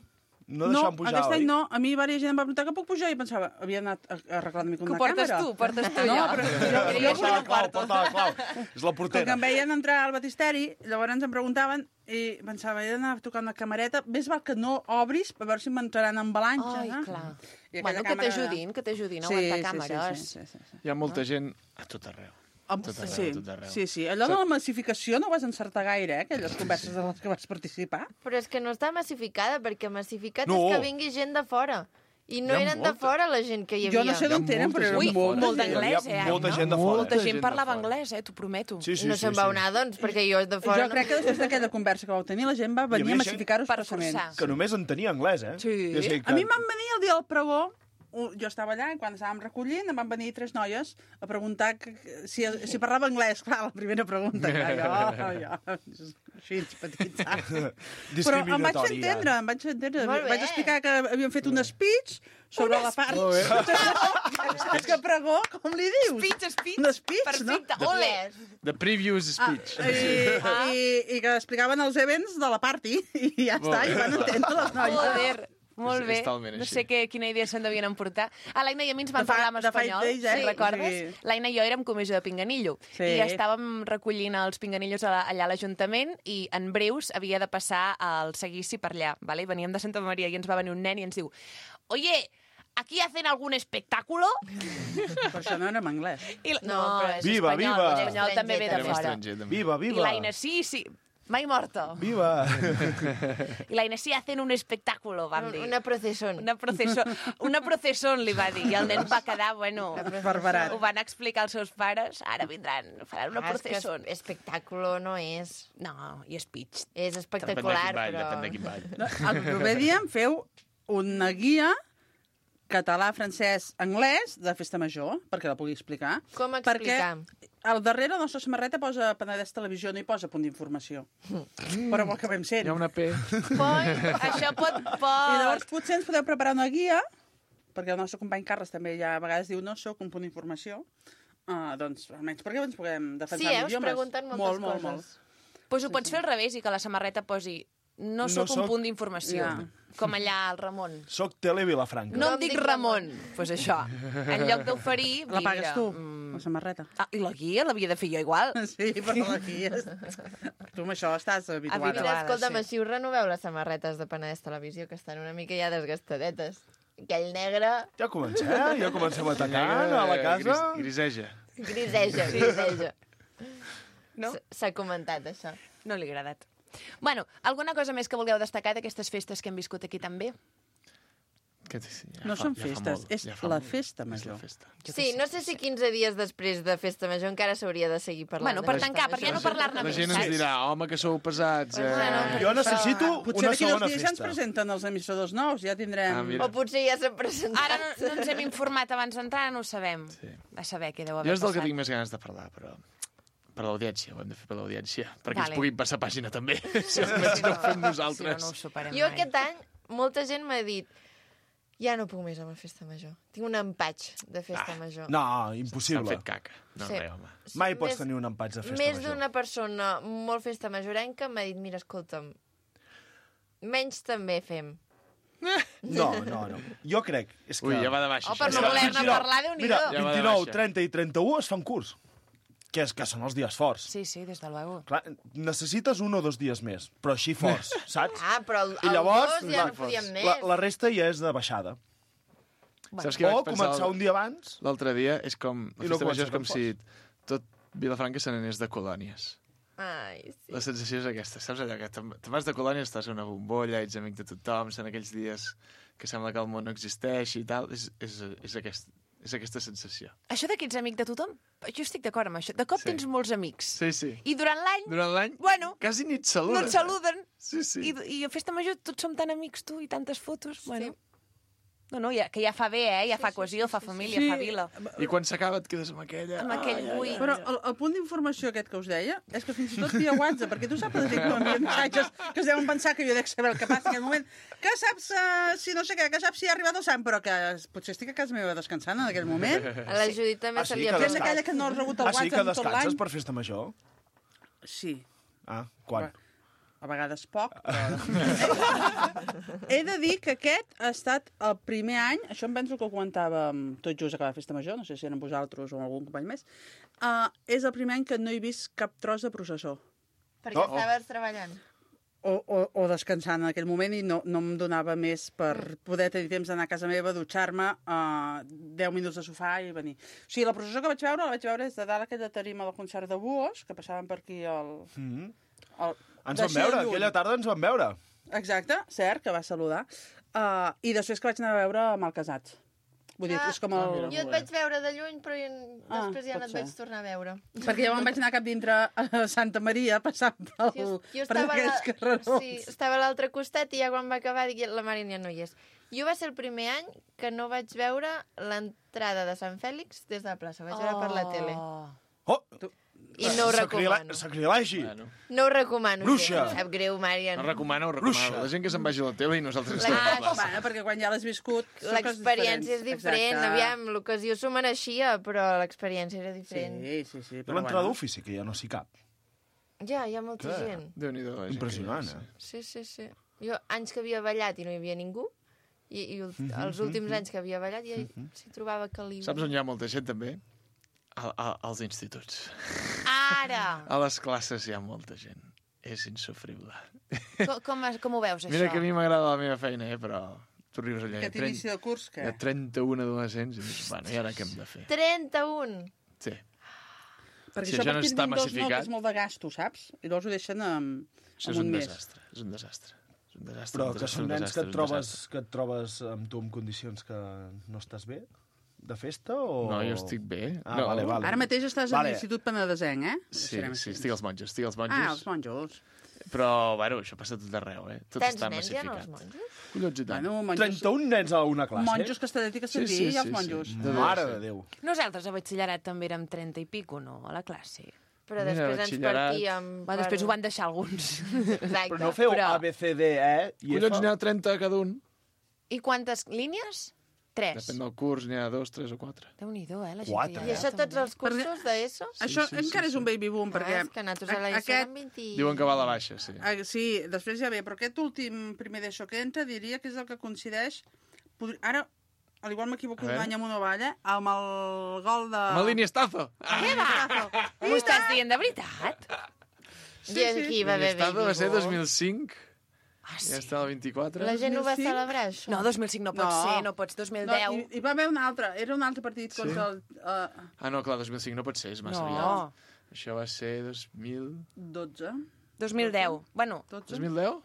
No deixaven pujar, aquest oi? any no. A mi diversa gent em va preguntar que puc pujar i pensava, havia anat a arreglar una mica Que una ho portes càmera. tu, portes tu No, ja. però Porta la clau, porta la clau. És la Com que portera. em veien entrar al batisteri, llavors em preguntaven i pensava, he d'anar a tocar una camareta, més val que no obris per veure si m'entraran en balances. Ai, clar. I aquella Bueno, que càmera- t'ajudin a aguantar càmeres. Sí. Hi ha molta gent a tot arreu. Tot arreu, Sí, tot arreu. sí. Allò de la massificació no ho vas encertar gaire, aquelles converses en les que vas participar. Però és que no està massificada, perquè massificat No. és que vingui gent de fora. I no Hi ha eren de molta. fora la gent que hi havia. Jo no sé d'on tenen, però era Ui, molt molt Hi d'anglès, havia eh? molta no? gent de fora. Molta gent gent de parlava fora. anglès, t'ho prometo. Sí, sí, no sí, se'n sí. vau anar, doncs, perquè jo de fora... Jo crec que després d'aquella conversa que vau tenir, la gent va venir havia a gent massificar-ho per expressament. forçar. Que només entenia anglès, eh? Sí. I o sigui que... A mi em van venir el dia del pregó, jo estava allà i quan estàvem recollint em van venir 3 noies a preguntar si parlava anglès. Clar, la primera pregunta. Jo, així, petits, saps? Però em vaig fer entendre, Molt bé. Vaig explicar que havíem fet un speech sobre la part... És que pregó, com li dius? Speech. Un speech, Perfecte, no? ole. The previous speech. I que explicaven els events de la party i ja està, i van entendre les noies. Joder. Molt bé. És talment No així. sé quina idea se'n devien emportar. L'Aina i a mi ens van De fa- parlar en de fa espanyol, days, si recordes? Sí. L'Aina i jo érem comissió de Pinganillo Sí. i estàvem recollint els pinganillos allà a l'Ajuntament i en breus havia de passar el seguici per allà. Vale? Veníem de Santa Maria i ens va venir un nen i ens diu «Oye, ¿aquí hacen algún espectáculo?» Per això no érem anglès. I, No, però és Viva, espanyol, viva. l'espanyol també ve de Érem fora. estranger, també. Viva, I viva. l'Aina, sí, mai morto. Viva. I l'Aina, sí, hacen un espectáculo, vam dir. Una procesón. Una procesón, li va dir. I el nen va quedar, bueno... Barbarat. Ho van explicar als seus pares. Ara vindran, faran una És que procesón. espectáculo no és. No, i speech. És Depèn de espectacular, quin ball, però... depèn de quin ball. No, al proper dia em feu una guia català, francès, anglès de festa major, perquè la pugui explicar. Com explicar? Perquè al darrere la nostra samarreta posa Penedès Televisió, no hi posa punt d'informació. Però ho acabem sent. Hi ha una P. Això pot... I llavors potser ens podeu preparar una guia, perquè el nostre company Carles també ja a vegades diu no sóc un punt d'informació, doncs almenys perquè ens puguem defensar Sí, els us idiomes. pregunten moltes molt, coses. Molt. Pues ho pots fer al revés i que la samarreta posi no sóc un soc- punt d'informació. Ja. Com allà al Ramon. Soc Tele Vilafranca. No em dic Ramon. Pues això. En lloc d'oferir... La pagues mira, tu, la samarreta. Ah, i la guia l'havia de fer jo igual. Sí, però la guia... Tu amb això estàs habituada. Habituada. Mira, escolta'm, sí. així us renoveu les samarretes de Penedès Televisió, que estan una mica ja desgastadetes. Aquell negre Ja comencem atacant a la casa. Griseja. griseja. No? S'ha comentat, això. No li ha agradat. Bueno, alguna cosa més que vulgueu destacar d'aquestes festes que hem viscut aquí també? No són festes, és la festa major. Sí, no sé si 15 dies després de Festa Major encara s'hauria de seguir parlant. Bueno, de per Festa tancar, per Major. ja no parlar-ne La més. gent ens saps? dirà, home, que sou pesats. Jo necessito Potser una d'aquí 2 segona dies ja ens festa. presenten els emissors nous, ja tindrem... Ah, mira. O potser ja s'han presentat. Ara no ens hem informat abans d'entrar, no ho sabem. Sí. A saber què deu Jo haver és del que passat. tinc més ganes de parlar, però... Per l'audiència, ho hem de fer per l'audiència. Perquè Vale. ens puguin passar pàgina, també. Si almenys no ho fem Si no, nosaltres. no ho superem Jo mai. aquest any, molta gent m'ha dit Ja no puc més amb la festa major. Tinc un empatx de festa major. No, impossible. S'han fet caca. No, Sí. res, home. Mai pots tenir un empatx de festa Més major. d'una persona molt festa majorenca m'ha dit, mira, escolta'm, menys també fem. No. Jo crec... És que... Ui, ja va de baixa. Oh, per això. no voler-ne parlar, Déu-n'hi-do. Mira, Ja va de 29, baixa. 30 i 31 es fan curs. Que són els dies forts. Sí, des de luego. Clar, necessites 1 o 2 dies més, però així forts, saps? Ah, però el I llavors, 2 ja no podíem més. la resta ja és de baixada. Saps què O vaig pensar començar un dia abans. l'altre dia? És com... La I no festa major és comença com tan si tot Vilafranca se n'anés de colònies. Ai, sí. La sensació és aquesta, saps allò que te'n vas de colònia, estàs a una bombolla, ets amic de tothom, són aquells dies que sembla que el món no existeix i tal, és aquesta sensació. Això de que ets amic de tothom, jo estic d'acord amb això. De cop tens molts amics. Sí. I durant l'any, Durant l'any, bueno, quasi ni et saluden. no et saluden. Sí. I a festa major tots som tan amics, tu, i tantes fotos. Bueno. No, que ja fa bé, ja fa cohesió, fa família, fa vila. I quan s'acaba et quedes amb aquella... Amb aquell buit. Però el punt d'informació aquest que us deia és que fins i tot via WhatsApp, perquè tu saps la gent que m'envien missatges que es deuen pensar que jo dec saber el que passa en aquell moment, que saps si no sé què, que saps si ha arribat el sant, però que potser estic a casa meva descansant en aquell moment. A la Judit també se li ha Gent aquella que no ha rebut el sí, que WhatsApp tot l'any. descanses per festa major? Sí. Ah, quan? A vegades poc, però... He de dir que aquest ha estat el primer any, això em penso que ho comentàvem tot just a cada festa major, no sé si eren vosaltres o algun company més, és el primer any que no he vist cap tros de processó. Perquè estaves treballant. O descansant en aquell moment i no em donava més per poder tenir temps d'anar a casa meva, dutxar-me, 10 minuts de sofà i venir. O sigui, la processó que vaig veure des de dalt aquella tarima del concert de Buos, que passaven per aquí Ens vam veure, aquella tarda ens vam veure. Exacte, cert, que va saludar. I després que vaig anar a veure Malcasats. Vull dir, és com el... Jo et vaig veure de lluny, però després ja no et vaig tornar a veure. Perquè jo me'n vaig anar cap dintre a Santa Maria, passant per aquells carrerons. Sí, estava a l'altre costat i ja quan va acabar dic, la Mari ja no hi és. Jo va ser el primer any que no vaig veure l'entrada de Sant Fèlix des de la plaça. Vaig veure per la tele. I no ho recomano. Sacrilegi. No ho recomano. Bruixa. Sap greu, Marian. No recomano. La gent que se'n vagi a la tele i nosaltres estem a la plaça. Bueno, perquè quan ja l'has viscut... L'experiència és diferent. Aviam, l'ocasió s'ho mereixia, però l'experiència era diferent. Sí. Però l'entrada d'ofici, que ja no s'hi cap. Ja, hi ha molta gent. Déu-n'hi-do. Impressionant, Sí. Jo, anys que havia ballat i no hi havia ningú, i els últims anys que havia ballat ja s'hi trobava caliu. Saps on hi ha molta gent, també? Als instituts. Ara! A les classes hi ha molta gent. És insofrible. Com ho veus, això? Mira que a mi m'agrada la meva feina, però tu rius allà. Aquest inici de curs, què? Hi ha 31 adolescents i dius, bueno, i ara què hem de fer? 31? Sí. Perquè Si això això no a partir està d'un 2 no, que massificat... és molt de gasto, saps? I llavors ho deixen amb Això és un mes. desastre. És un desastre. Però que són nens que et trobes amb tu en condicions que no estàs bé? De festa o...? No, jo estic bé. Ah, no, vale. Ara mateix estàs a l'Institut Penedesenc, eh? Sí, estic als monjos. Ah, els monjos. Però, bueno, això passa tot arreu, eh? Tot Tants està nens hi ha massificat. als monjos? Collons i tant. Bueno, 31 nens a una classe? Monjos Castellet i Castellví i els monjos. Mare de Déu. Nosaltres a batxillerat també érem 30 i pico, no? A la classe. Però després ens partíem... Després ho van deixar alguns. Exacte. Però no feu A, B, C, D, E i F? Collons, n'hi ha 30 cada un. I quantes línies? 3. Depèn del curs, n'hi ha 2, 3 o 4. Déu-n'hi-do, la gent que hi ha. I això tots els cursos d'ESO? Això encara és un baby boom, perquè... És que nosaltres a l'ESO eren 20... Diuen que va a la baixa, sí. Sí, després ja ve, però aquest últim primer d'ESO que entra diria que és el que coincideix... Ara, al igual m'equivoco un any amb una valla, amb el gol de... Amb el Iniestazo! Què va? M'ho estàs dient de veritat? Sí. Aquí va haver Iniestazo va ser baby 2005. Ah, Ja està el 24. La gent ho va celebrar, això? No, 2005 no pot ser, no pots, 2010. No, hi va haver un altre, era un altre partit contra el... Ah, no, clar, 2005 no pot ser, és massa aviat. Això va ser 12. 2010. Bueno, 2010?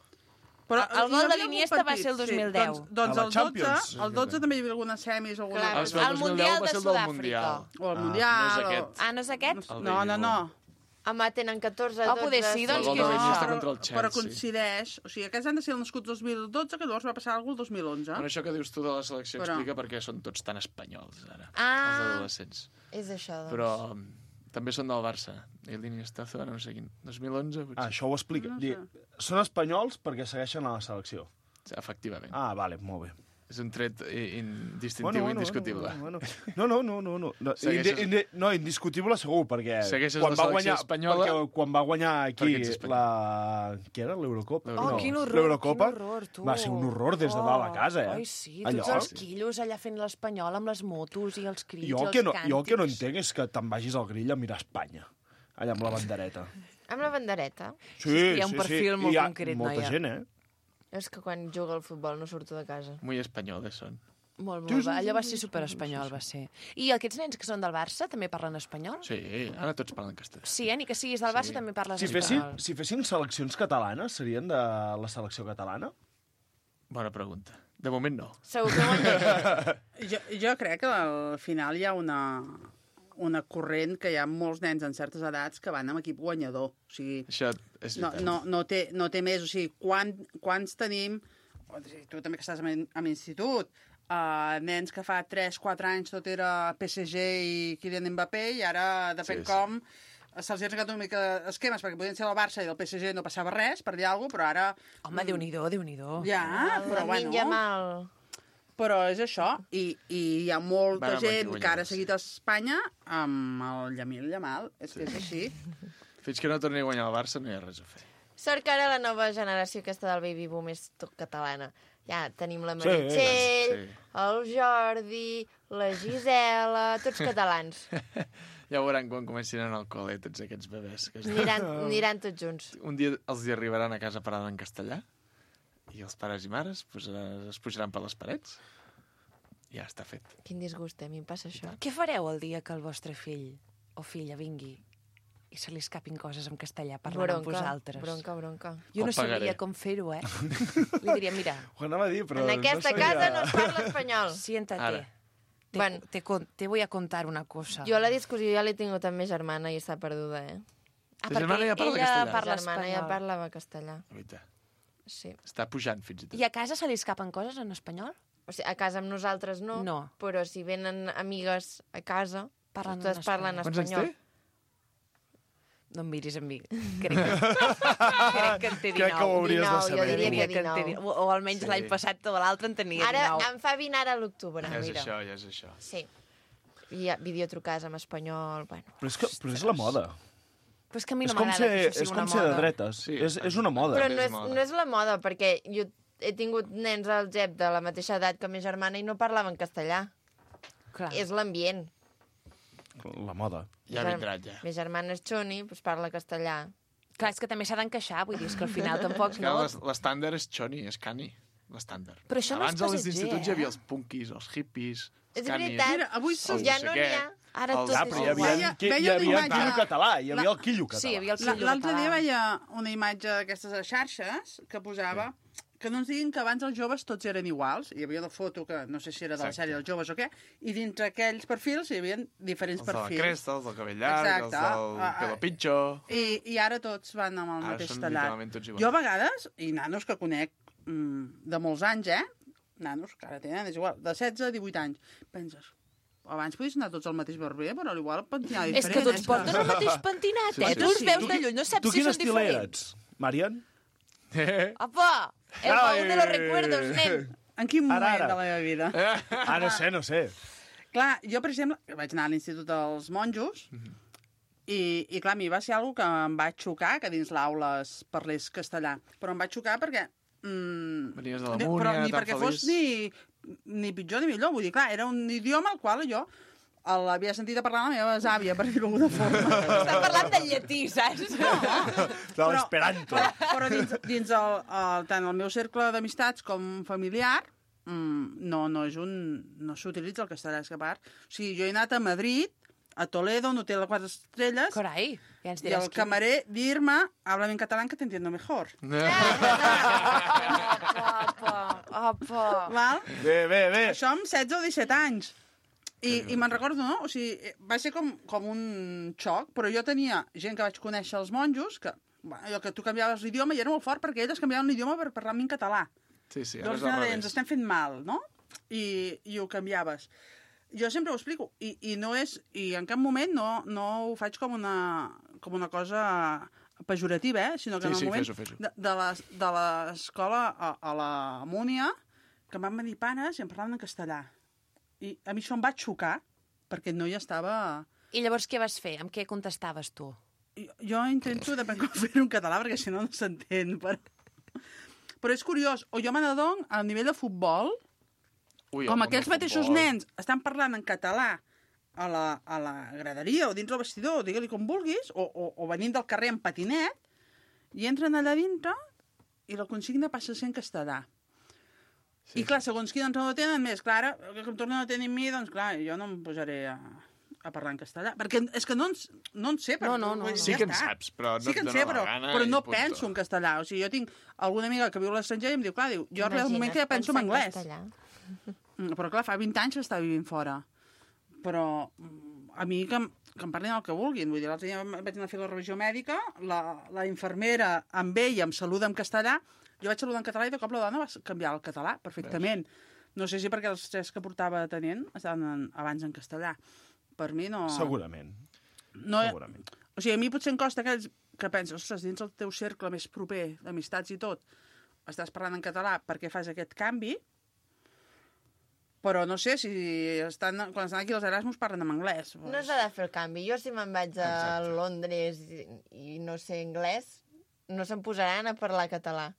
Però el gol de l'Iniesta va ser el 2010. Doncs el 12 també hi havia algunes semis. El Mundial de Sud-àfrica. O el Mundial. No és aquest. Ah, no és aquest? No. Home, tenen 14, 12... poder sí, doncs El gol de l'Iniesta contra el Però Chelsea. coincideix... O sigui, aquests han de ser nascuts 2012, que llavors va passar alguna cosa el 2011. Bueno, això que dius tu de la selecció explica perquè són tots tan espanyols, ara, Ah. els adolescents. És això, doncs. Però també són del Barça. I l'Iniestazo, no sé quin, 2011, potser. Ah, això ho explica. Són espanyols perquè segueixen a la selecció. Efectivament. Ah, vale, molt bé. És un tret distintiu indiscutible. No, indiscutible segur, perquè segueixes la selecció espanyola... Perquè quan va guanyar aquí què era? L'Eurocopa? Quin horror, L'Eurocopa quin horror, tu. va ser un horror des de dalt a casa, Ai, sí, tots els quillos allà fent l'Espanyol amb les motos i els crits, jo els càntics. Jo el que no entenc és que te'n vagis al grill a mirar Espanya, allà amb la bandereta. Amb la bandereta? Sí, hi ha un perfil molt concret, noia. Molta gent, És que quan jugo al futbol no surto de casa. Muy espanyoles són. Molt, allò va ser superespanyol, va ser. I aquests nens que són del Barça també parlen espanyol? Sí, ara tots parlen castellà. Sí, ni que siguis del Barça també parles espanyol. Si fessin seleccions catalanes, serien de la selecció catalana? Bona pregunta. De moment no. Segur que ho jo crec que al final hi ha una corrent que hi ha molts nens en certes edats que van amb equip guanyador. O sigui, això és veritat. No té més. O sigui, quants tenim... Tu també que estàs en institut, nens que fa 3-4 anys tot era PSG i Kylian Mbappé i ara, depèn com, se'ls ha ensenyat una mica esquemes, perquè podien ser del Barça i del PSG no passava res, per dir alguna cosa, però ara... Home, Déu-n'hi-do. Ja, però bueno... Però és això, i hi ha molta gent que ara ha seguit a Espanya amb el Yamil Yamal, és que és així. Fins que no torni a guanyar el Barça no hi ha res a fer. Sort que ara la nova generació aquesta del baby boom és tot catalana. Ja tenim la Meritxell, el Jordi, la Gisela, tots catalans. Ja veuran quan comencin a anar al col·le tots aquests bebès. Aniran tots junts. Un dia els hi arribaran a casa parlant en castellà i els pares i mares es pujaran per les parets. Ja està fet. Quin disgust, a mi em passa això. Què fareu el dia que el vostre fill o filla vingui i se li escapin coses en castellà parlant amb vosaltres? Bronca. Jo no sabria com fer-ho, Li diria, mira... Ho anava a dir, però... En aquesta casa no es parla espanyol. Siéntate. Te voy a contar una cosa. Jo la discussió ja l'he tingut amb ma germana i està perduda, Ta germana ja parla castellà? La germana ja parlava castellà. Sí. Està pujant, fins i tot. I a casa se li escapen coses en espanyol? O sigui, a casa amb nosaltres no. Però si venen amigues a casa, totes parlen espanyol. Quants anys té? No em miris a mi. Crec que en té 19. Crec que ho hauries de saber. Jo diria que 19. O almenys l'any passat o l'altre en tenia 19. Ara em fa 20 ara a l'octubre. Ja és això. Sí. I videotrucades en espanyol, bueno. Però és la moda. Però és que a mi no m'agrada que això sigui una moda. És com ser de dretes. És una moda. Però no és la moda, perquè jo he tingut nens al GEP de la mateixa edat que ma germana i no parlaven castellà. Clar. És l'ambient. La moda. Ja vindrà, ja. Ma germana és xoni, doncs parla castellà. Clar, és que també s'ha d'encaixar, vull dir, és que al final tampoc no... L'estàndard és xoni, és cani, l'estàndard. Però això no és abans, als instituts hi havia els punkis, els hippies, els canis... És veritat, avui ja no n'hi ha. Ara tot però hi havia el quillo català, hi havia el quillo català. Sí, hi havia el quillo català. L'altre dia veia una imatge d'aquestes xarxes que posava que no ens diguin que abans els joves tots eren iguals. Hi havia la foto, que no sé si era de la sèrie dels joves o què, i dintre aquells perfils hi havia diferents perfils. Els de la cresta, els del cabell llarg, els del pelo pitxo... I ara tots van amb el mateix tallat. Literalment tots iguals. Jo a vegades, i nanos que conec de molts anys, nanos que ara tenen, és igual, de 16 a 18 anys, penses, abans podies anar tots al mateix barber, però igual pentinava diferent. És que tots porten el mateix pentinat, Tu els veus de lluny, no saps si són diferents. Tu quin estil ets, Marian? Apa! El baúl de los recuerdos, nen. En quin moment de la meva vida? No sé. Clar, jo, per exemple, vaig anar a l'Institut dels Monjos i clar, a mi va ser una cosa que em va xocar, que dins l'aula es parlés castellà. Però em va xocar perquè... Venies de la Múnia, però ni tan perquè feliç. fos ni pitjor ni millor. Vull dir, clar, era un idioma al qual jo l'havia sentit a parlar la meva àvia, per dir-ho d'alguna forma. Estan parlant de llatí, saps? De l'esperanto. Però dins tant el meu cercle d'amistats com familiar, no s'utilitza el castellà, és que a part... O sigui, jo he anat a Madrid, a Toledo, un hotel de 4 estrelles, Carai, ja ens i diràs el camarer dir-me, háblame en catalán que te entiendo mejor. Val? Bé. Això amb 16 o 17 anys. I me'n recordo, no? O sigui, va ser com un xoc, però jo tenia gent que vaig conèixer als monjos, que, allò que tu canviaves l'idioma i era molt fort perquè ells canviaven l'idioma per parlar-me en català. Sí, ara doncs ens estem fent mal, no? I ho canviaves. Jo sempre ho explico, i no és... I en cap moment no ho faig com una cosa pejorativa, sinó que en el moment fes-ho. de l'escola a la Múnia que em van venir pares i em parlaven en castellà. I a mi això em va xocar, perquè no hi estava... I llavors què vas fer? Amb què contestaves tu? Jo intento de com fer-ho en català, perquè si no s'entén. Però és curiós, o jo me n'adono a nivell de futbol, com aquells mateixos nens estan parlant en català a la graderia o dins del vestidor, digue-li com vulguis, o venint del carrer en patinet, i entren allà dintre i la consigna passa a ser en castellà. I clar, segons qui doncs no ho tenen més, clar, que em tornen a tenir amb mi, doncs clar, jo no em posaré a parlar en castellà. Perquè és que no en sé. No. Sí que en saps, però no et dona la gana. Però no penso en castellà. O sigui, jo tinc alguna amiga que viu a l'estranger i em diu, clar, jo arriba un moment que ja penso en anglès. Però clar, fa 20 anys que està vivint fora. Però a mi que em parlin el que vulguin. Vull dir, l'altre dia vaig anar a fer la revisió mèdica, la infermera amb ella em saluda en castellà, jo vaig saludar en català i de cop la dona va canviar el català perfectament. No sé si perquè els tres que portava tenint estaven abans en castellà. Per mi no... Segurament. Segurament. O sigui, a mi potser em costa aquells que penses, ostres, dins el teu cercle més proper d'amistats i tot, estàs parlant en català perquè fas aquest canvi, però no sé si quan estan aquí els Erasmus parlen en anglès. No s'ha de fer el canvi. Jo si me'n vaig a Londres i no sé anglès, no se'm posaran a parlar català.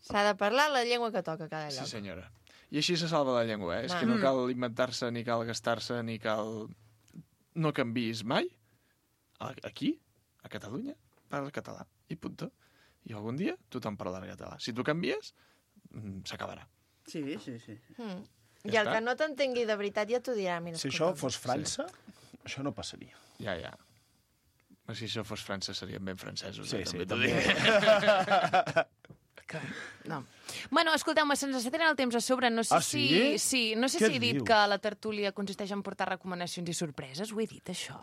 S'ha de parlar la llengua que toca cada lloc. Sí, senyora. I així se salva la llengua, És que no cal inventar-se, ni cal gastar-se, ni cal... No canviïs mai. Aquí, a Catalunya, parla català. I punto. I algun dia tothom parlarà català. Si tu canvies, s'acabarà. Sí. I el que no t'entengui de veritat ja t'ho dirà. Si això fos França, això no passaria. Ja. Si això fos França serien ben francesos. Sí, també. No. Bueno, escolteu-me, se'ns està tenint el temps a sobre. No sé si he dit que la tertúlia consisteix en portar recomanacions i sorpreses. Ho he dit, això?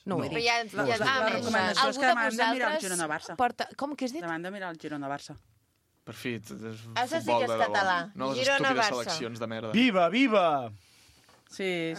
No ho he dit. La recomanació és que demà de mirar el Girona-Barça. Com que has dit? Demà de mirar el Girona-Barça. Per fi, Això sí que és català. No les estúpides seleccions de merda. Viva! Sí.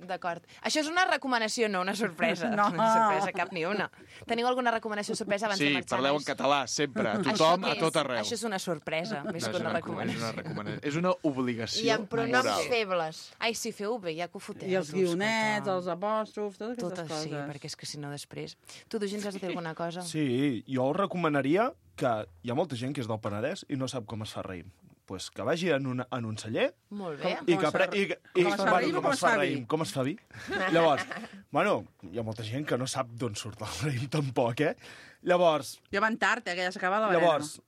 D'acord. Això és una recomanació, no una sorpresa. No una sorpresa, cap ni una. Teniu alguna recomanació sorpresa abans de marxar? Sí, parleu en català, sempre. Tothom, a tot arreu. Això és una sorpresa, més que una recomanació. És una obligació moral. I amb pronoms febles. Ai, sí, feu bé, ja que ho foteu. I els guionets, els apòstrofs, totes aquestes coses. Sí, perquè és que si no després... Tu, Dugins, has de dir alguna cosa? Sí, jo us recomanaria que hi ha molta gent que és del Penedès i no sap com es fa raïm. Pues que vagi en un celler... Molt bé. Com es fa raïm? Com es fa vi? Llavors, hi ha molta gent que no sap d'on surt el raïm tampoc, Llavors... Ja van tard, que ja s'acaba la verema. Llavors,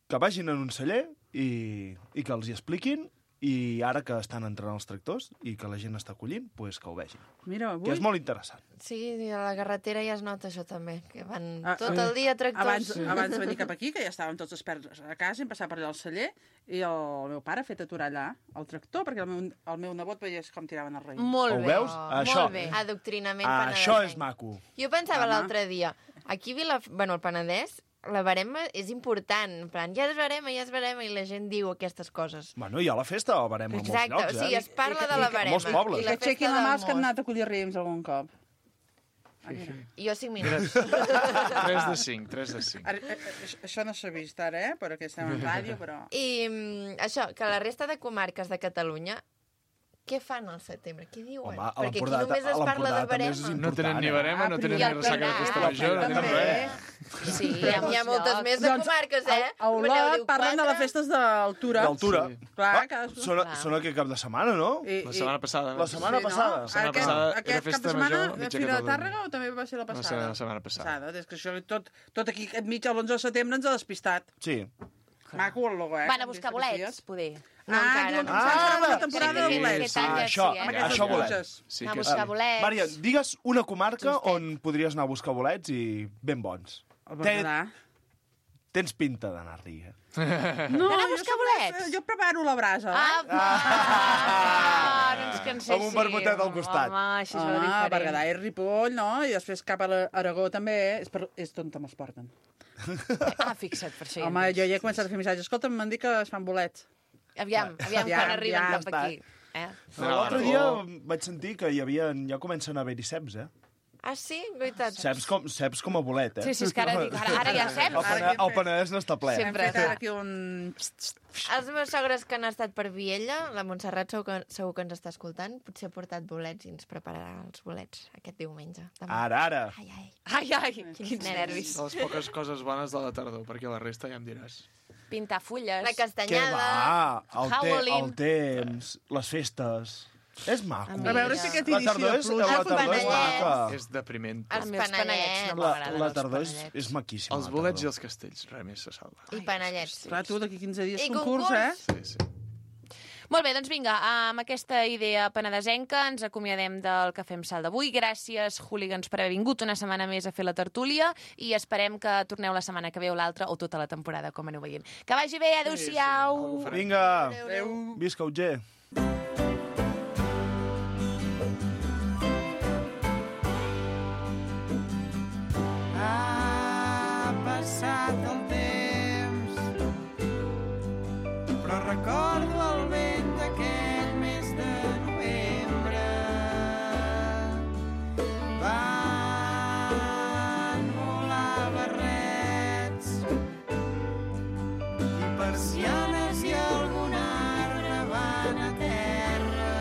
que vagin en un celler i que els hi expliquin, i ara que estan entrant els tractors i que la gent està collint, pues que ho vegin. Mira, avui... Que és molt interessant. Sí, a la carretera ja es nota això també, que van tot el dia tractors. Abans de venir cap aquí, que ja estàvem tots experts a casa, hem passat per allà al celler, i el meu pare ha fet aturar allà el tractor, perquè el meu nebot veies com tiraven el raïm. Molt bé. Ho veus? Això. Molt bé. Adoctrinament penedesenc. Això és maco. Jo pensava l'altre dia, aquí al Penedès, la barema és important. En plan, ja es barema, i la gent diu aquestes coses. Hi ha la festa de la barema a molts llocs, Exacte, o sigui, es parla de la barema. Molts pobles. I la que aixequin la mà els que han anat a collir raïms algun cop. Jo 5 minuts. 3 de 5. Això no s'ha vist ara, perquè estem en ràdio, però... I això, que la resta de comarques de Catalunya, què fan al setembre? Què diuen? Home, perquè aquí només es parla de barema. No tenen ni barema, no tenen ni ressaca de festa major, no tenen res. Sí, hi ha moltes més de comarques, A Olot parlen de les festes d'altura. D'altura. Clar, són aquest cap de setmana, no? La setmana passada. La setmana passada. Aquest cap de setmana, la Fira de Tàrrega, o també va ser la passada? La setmana passada. És que això tot aquí, mig a l'11 de setembre, ens ha despistat. Sí. Maco el logo, Van a buscar bolets, poder. No, encara no. La temporada de bolets. Això bolets. Anar a buscar bolets. Mària, digues una comarca on podries anar a buscar bolets i ben bons. El Berguedà. Tens pinta d'anar-hi, No, jo preparo la brasa. Amb un vermutet al costat. Home, Berguedà i Ripoll, no? I després cap a l'Aragó també, és on te'ls porten. Fixa't, per això. Home, jo ja he començat a fer missatges. Escolta'm, m'han dit que es fan bolets. Aviam quan arriben cap aquí. L'altre dia vaig sentir que ja comencen a haver-hi ceps, Ah, sí? Guaitats. Ceps com a bolet, Sí, és que ara ja ceps. El Penedès n'està ple. Sempre. Hem fet aquí un... Els meus sogres que han estat per Viella, la Montserrat segur que ens està escoltant, potser ha portat bolets i ens prepararà els bolets aquest diumenge. Ara. Ai, quins nervis. De les poques coses bones de la tardor, perquè la resta ja em diràs. Pintar fulles. La castanyada. Què va? Halloween. El temps, les festes... És maco. A veure si aquest inici de pluja... La tardor és maca. És depriment. Els panellets. no m'agraden. La tardor és maquíssima. Els bolets i els castells, res més se salva. I panellets. Clar, tu, d'aquí 15 dies I concurs, concurs. Sí. Molt bé, doncs vinga, amb aquesta idea penedesenca ens acomiadem del Cafè amb Sal d'avui. Gràcies, hooligans, per haver vingut una setmana més a fer la tertúlia i esperem que torneu la setmana que ve o l'altra o tota la temporada, com aneu veient. Que vagi bé, adéu-siau! Vinga, Adéu. visca Utger. Ha passat el temps, però recordo el vent d'aquell mes de novembre. Van volar barrets i persianes i algun arbre van a terra.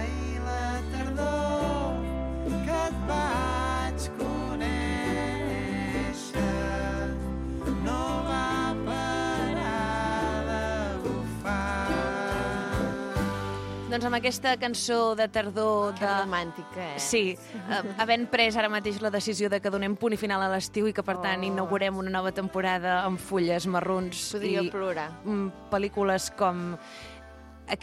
I la tardor que et vaig conèixer no va parar de bufar. Doncs amb aquesta cançó de tardor... Que romàntica, eh? Sí, havent pres ara mateix la decisió de que donem punt i final a l'estiu i que, per tant, inaugurem una nova temporada amb fulles marrons Podria i plorar. Pel·lícules com...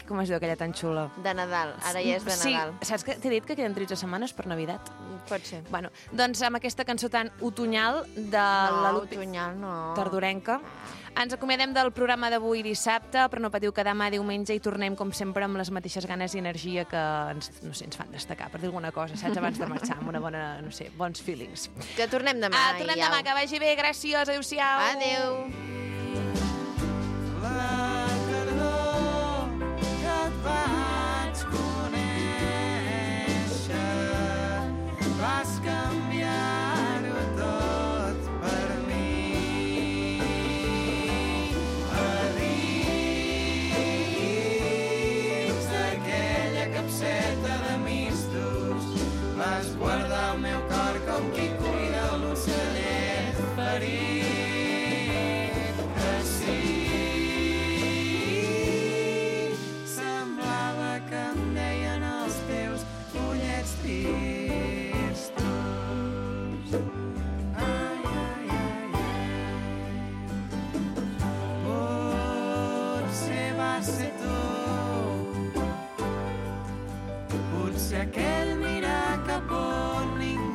Com es diu aquella tan xula? De Nadal, ara ja és de Nadal. Sí, saps que t'he dit que queden 13 setmanes per Navidad? Pot ser. Bueno, doncs amb aquesta cançó tan otoñal de la Lupi... otoñal no. Tardorenca. Ens acomiadem del programa d'avui dissabte, però no patiu que demà diumenge i tornem, com sempre, amb les mateixes ganes i energia que ens fan destacar, per dir alguna cosa, saps? Abans de marxar, amb una bona, bons feelings. Que tornem demà. Tornem demà, que vagi bé, gràcies, adéu-siau. Adéu. La tardor que et vaig conèixer, vas canviar-ho tot per mi. A dins d'aquella capseta de mistos vas guardar el meu cor com qui cuida l'ocellet ferit. Que sí, semblava que em deien els teus ullets tristos. Ai, ai, ai, ai. Potser va ser tu, potser aquell mirar cap on ningú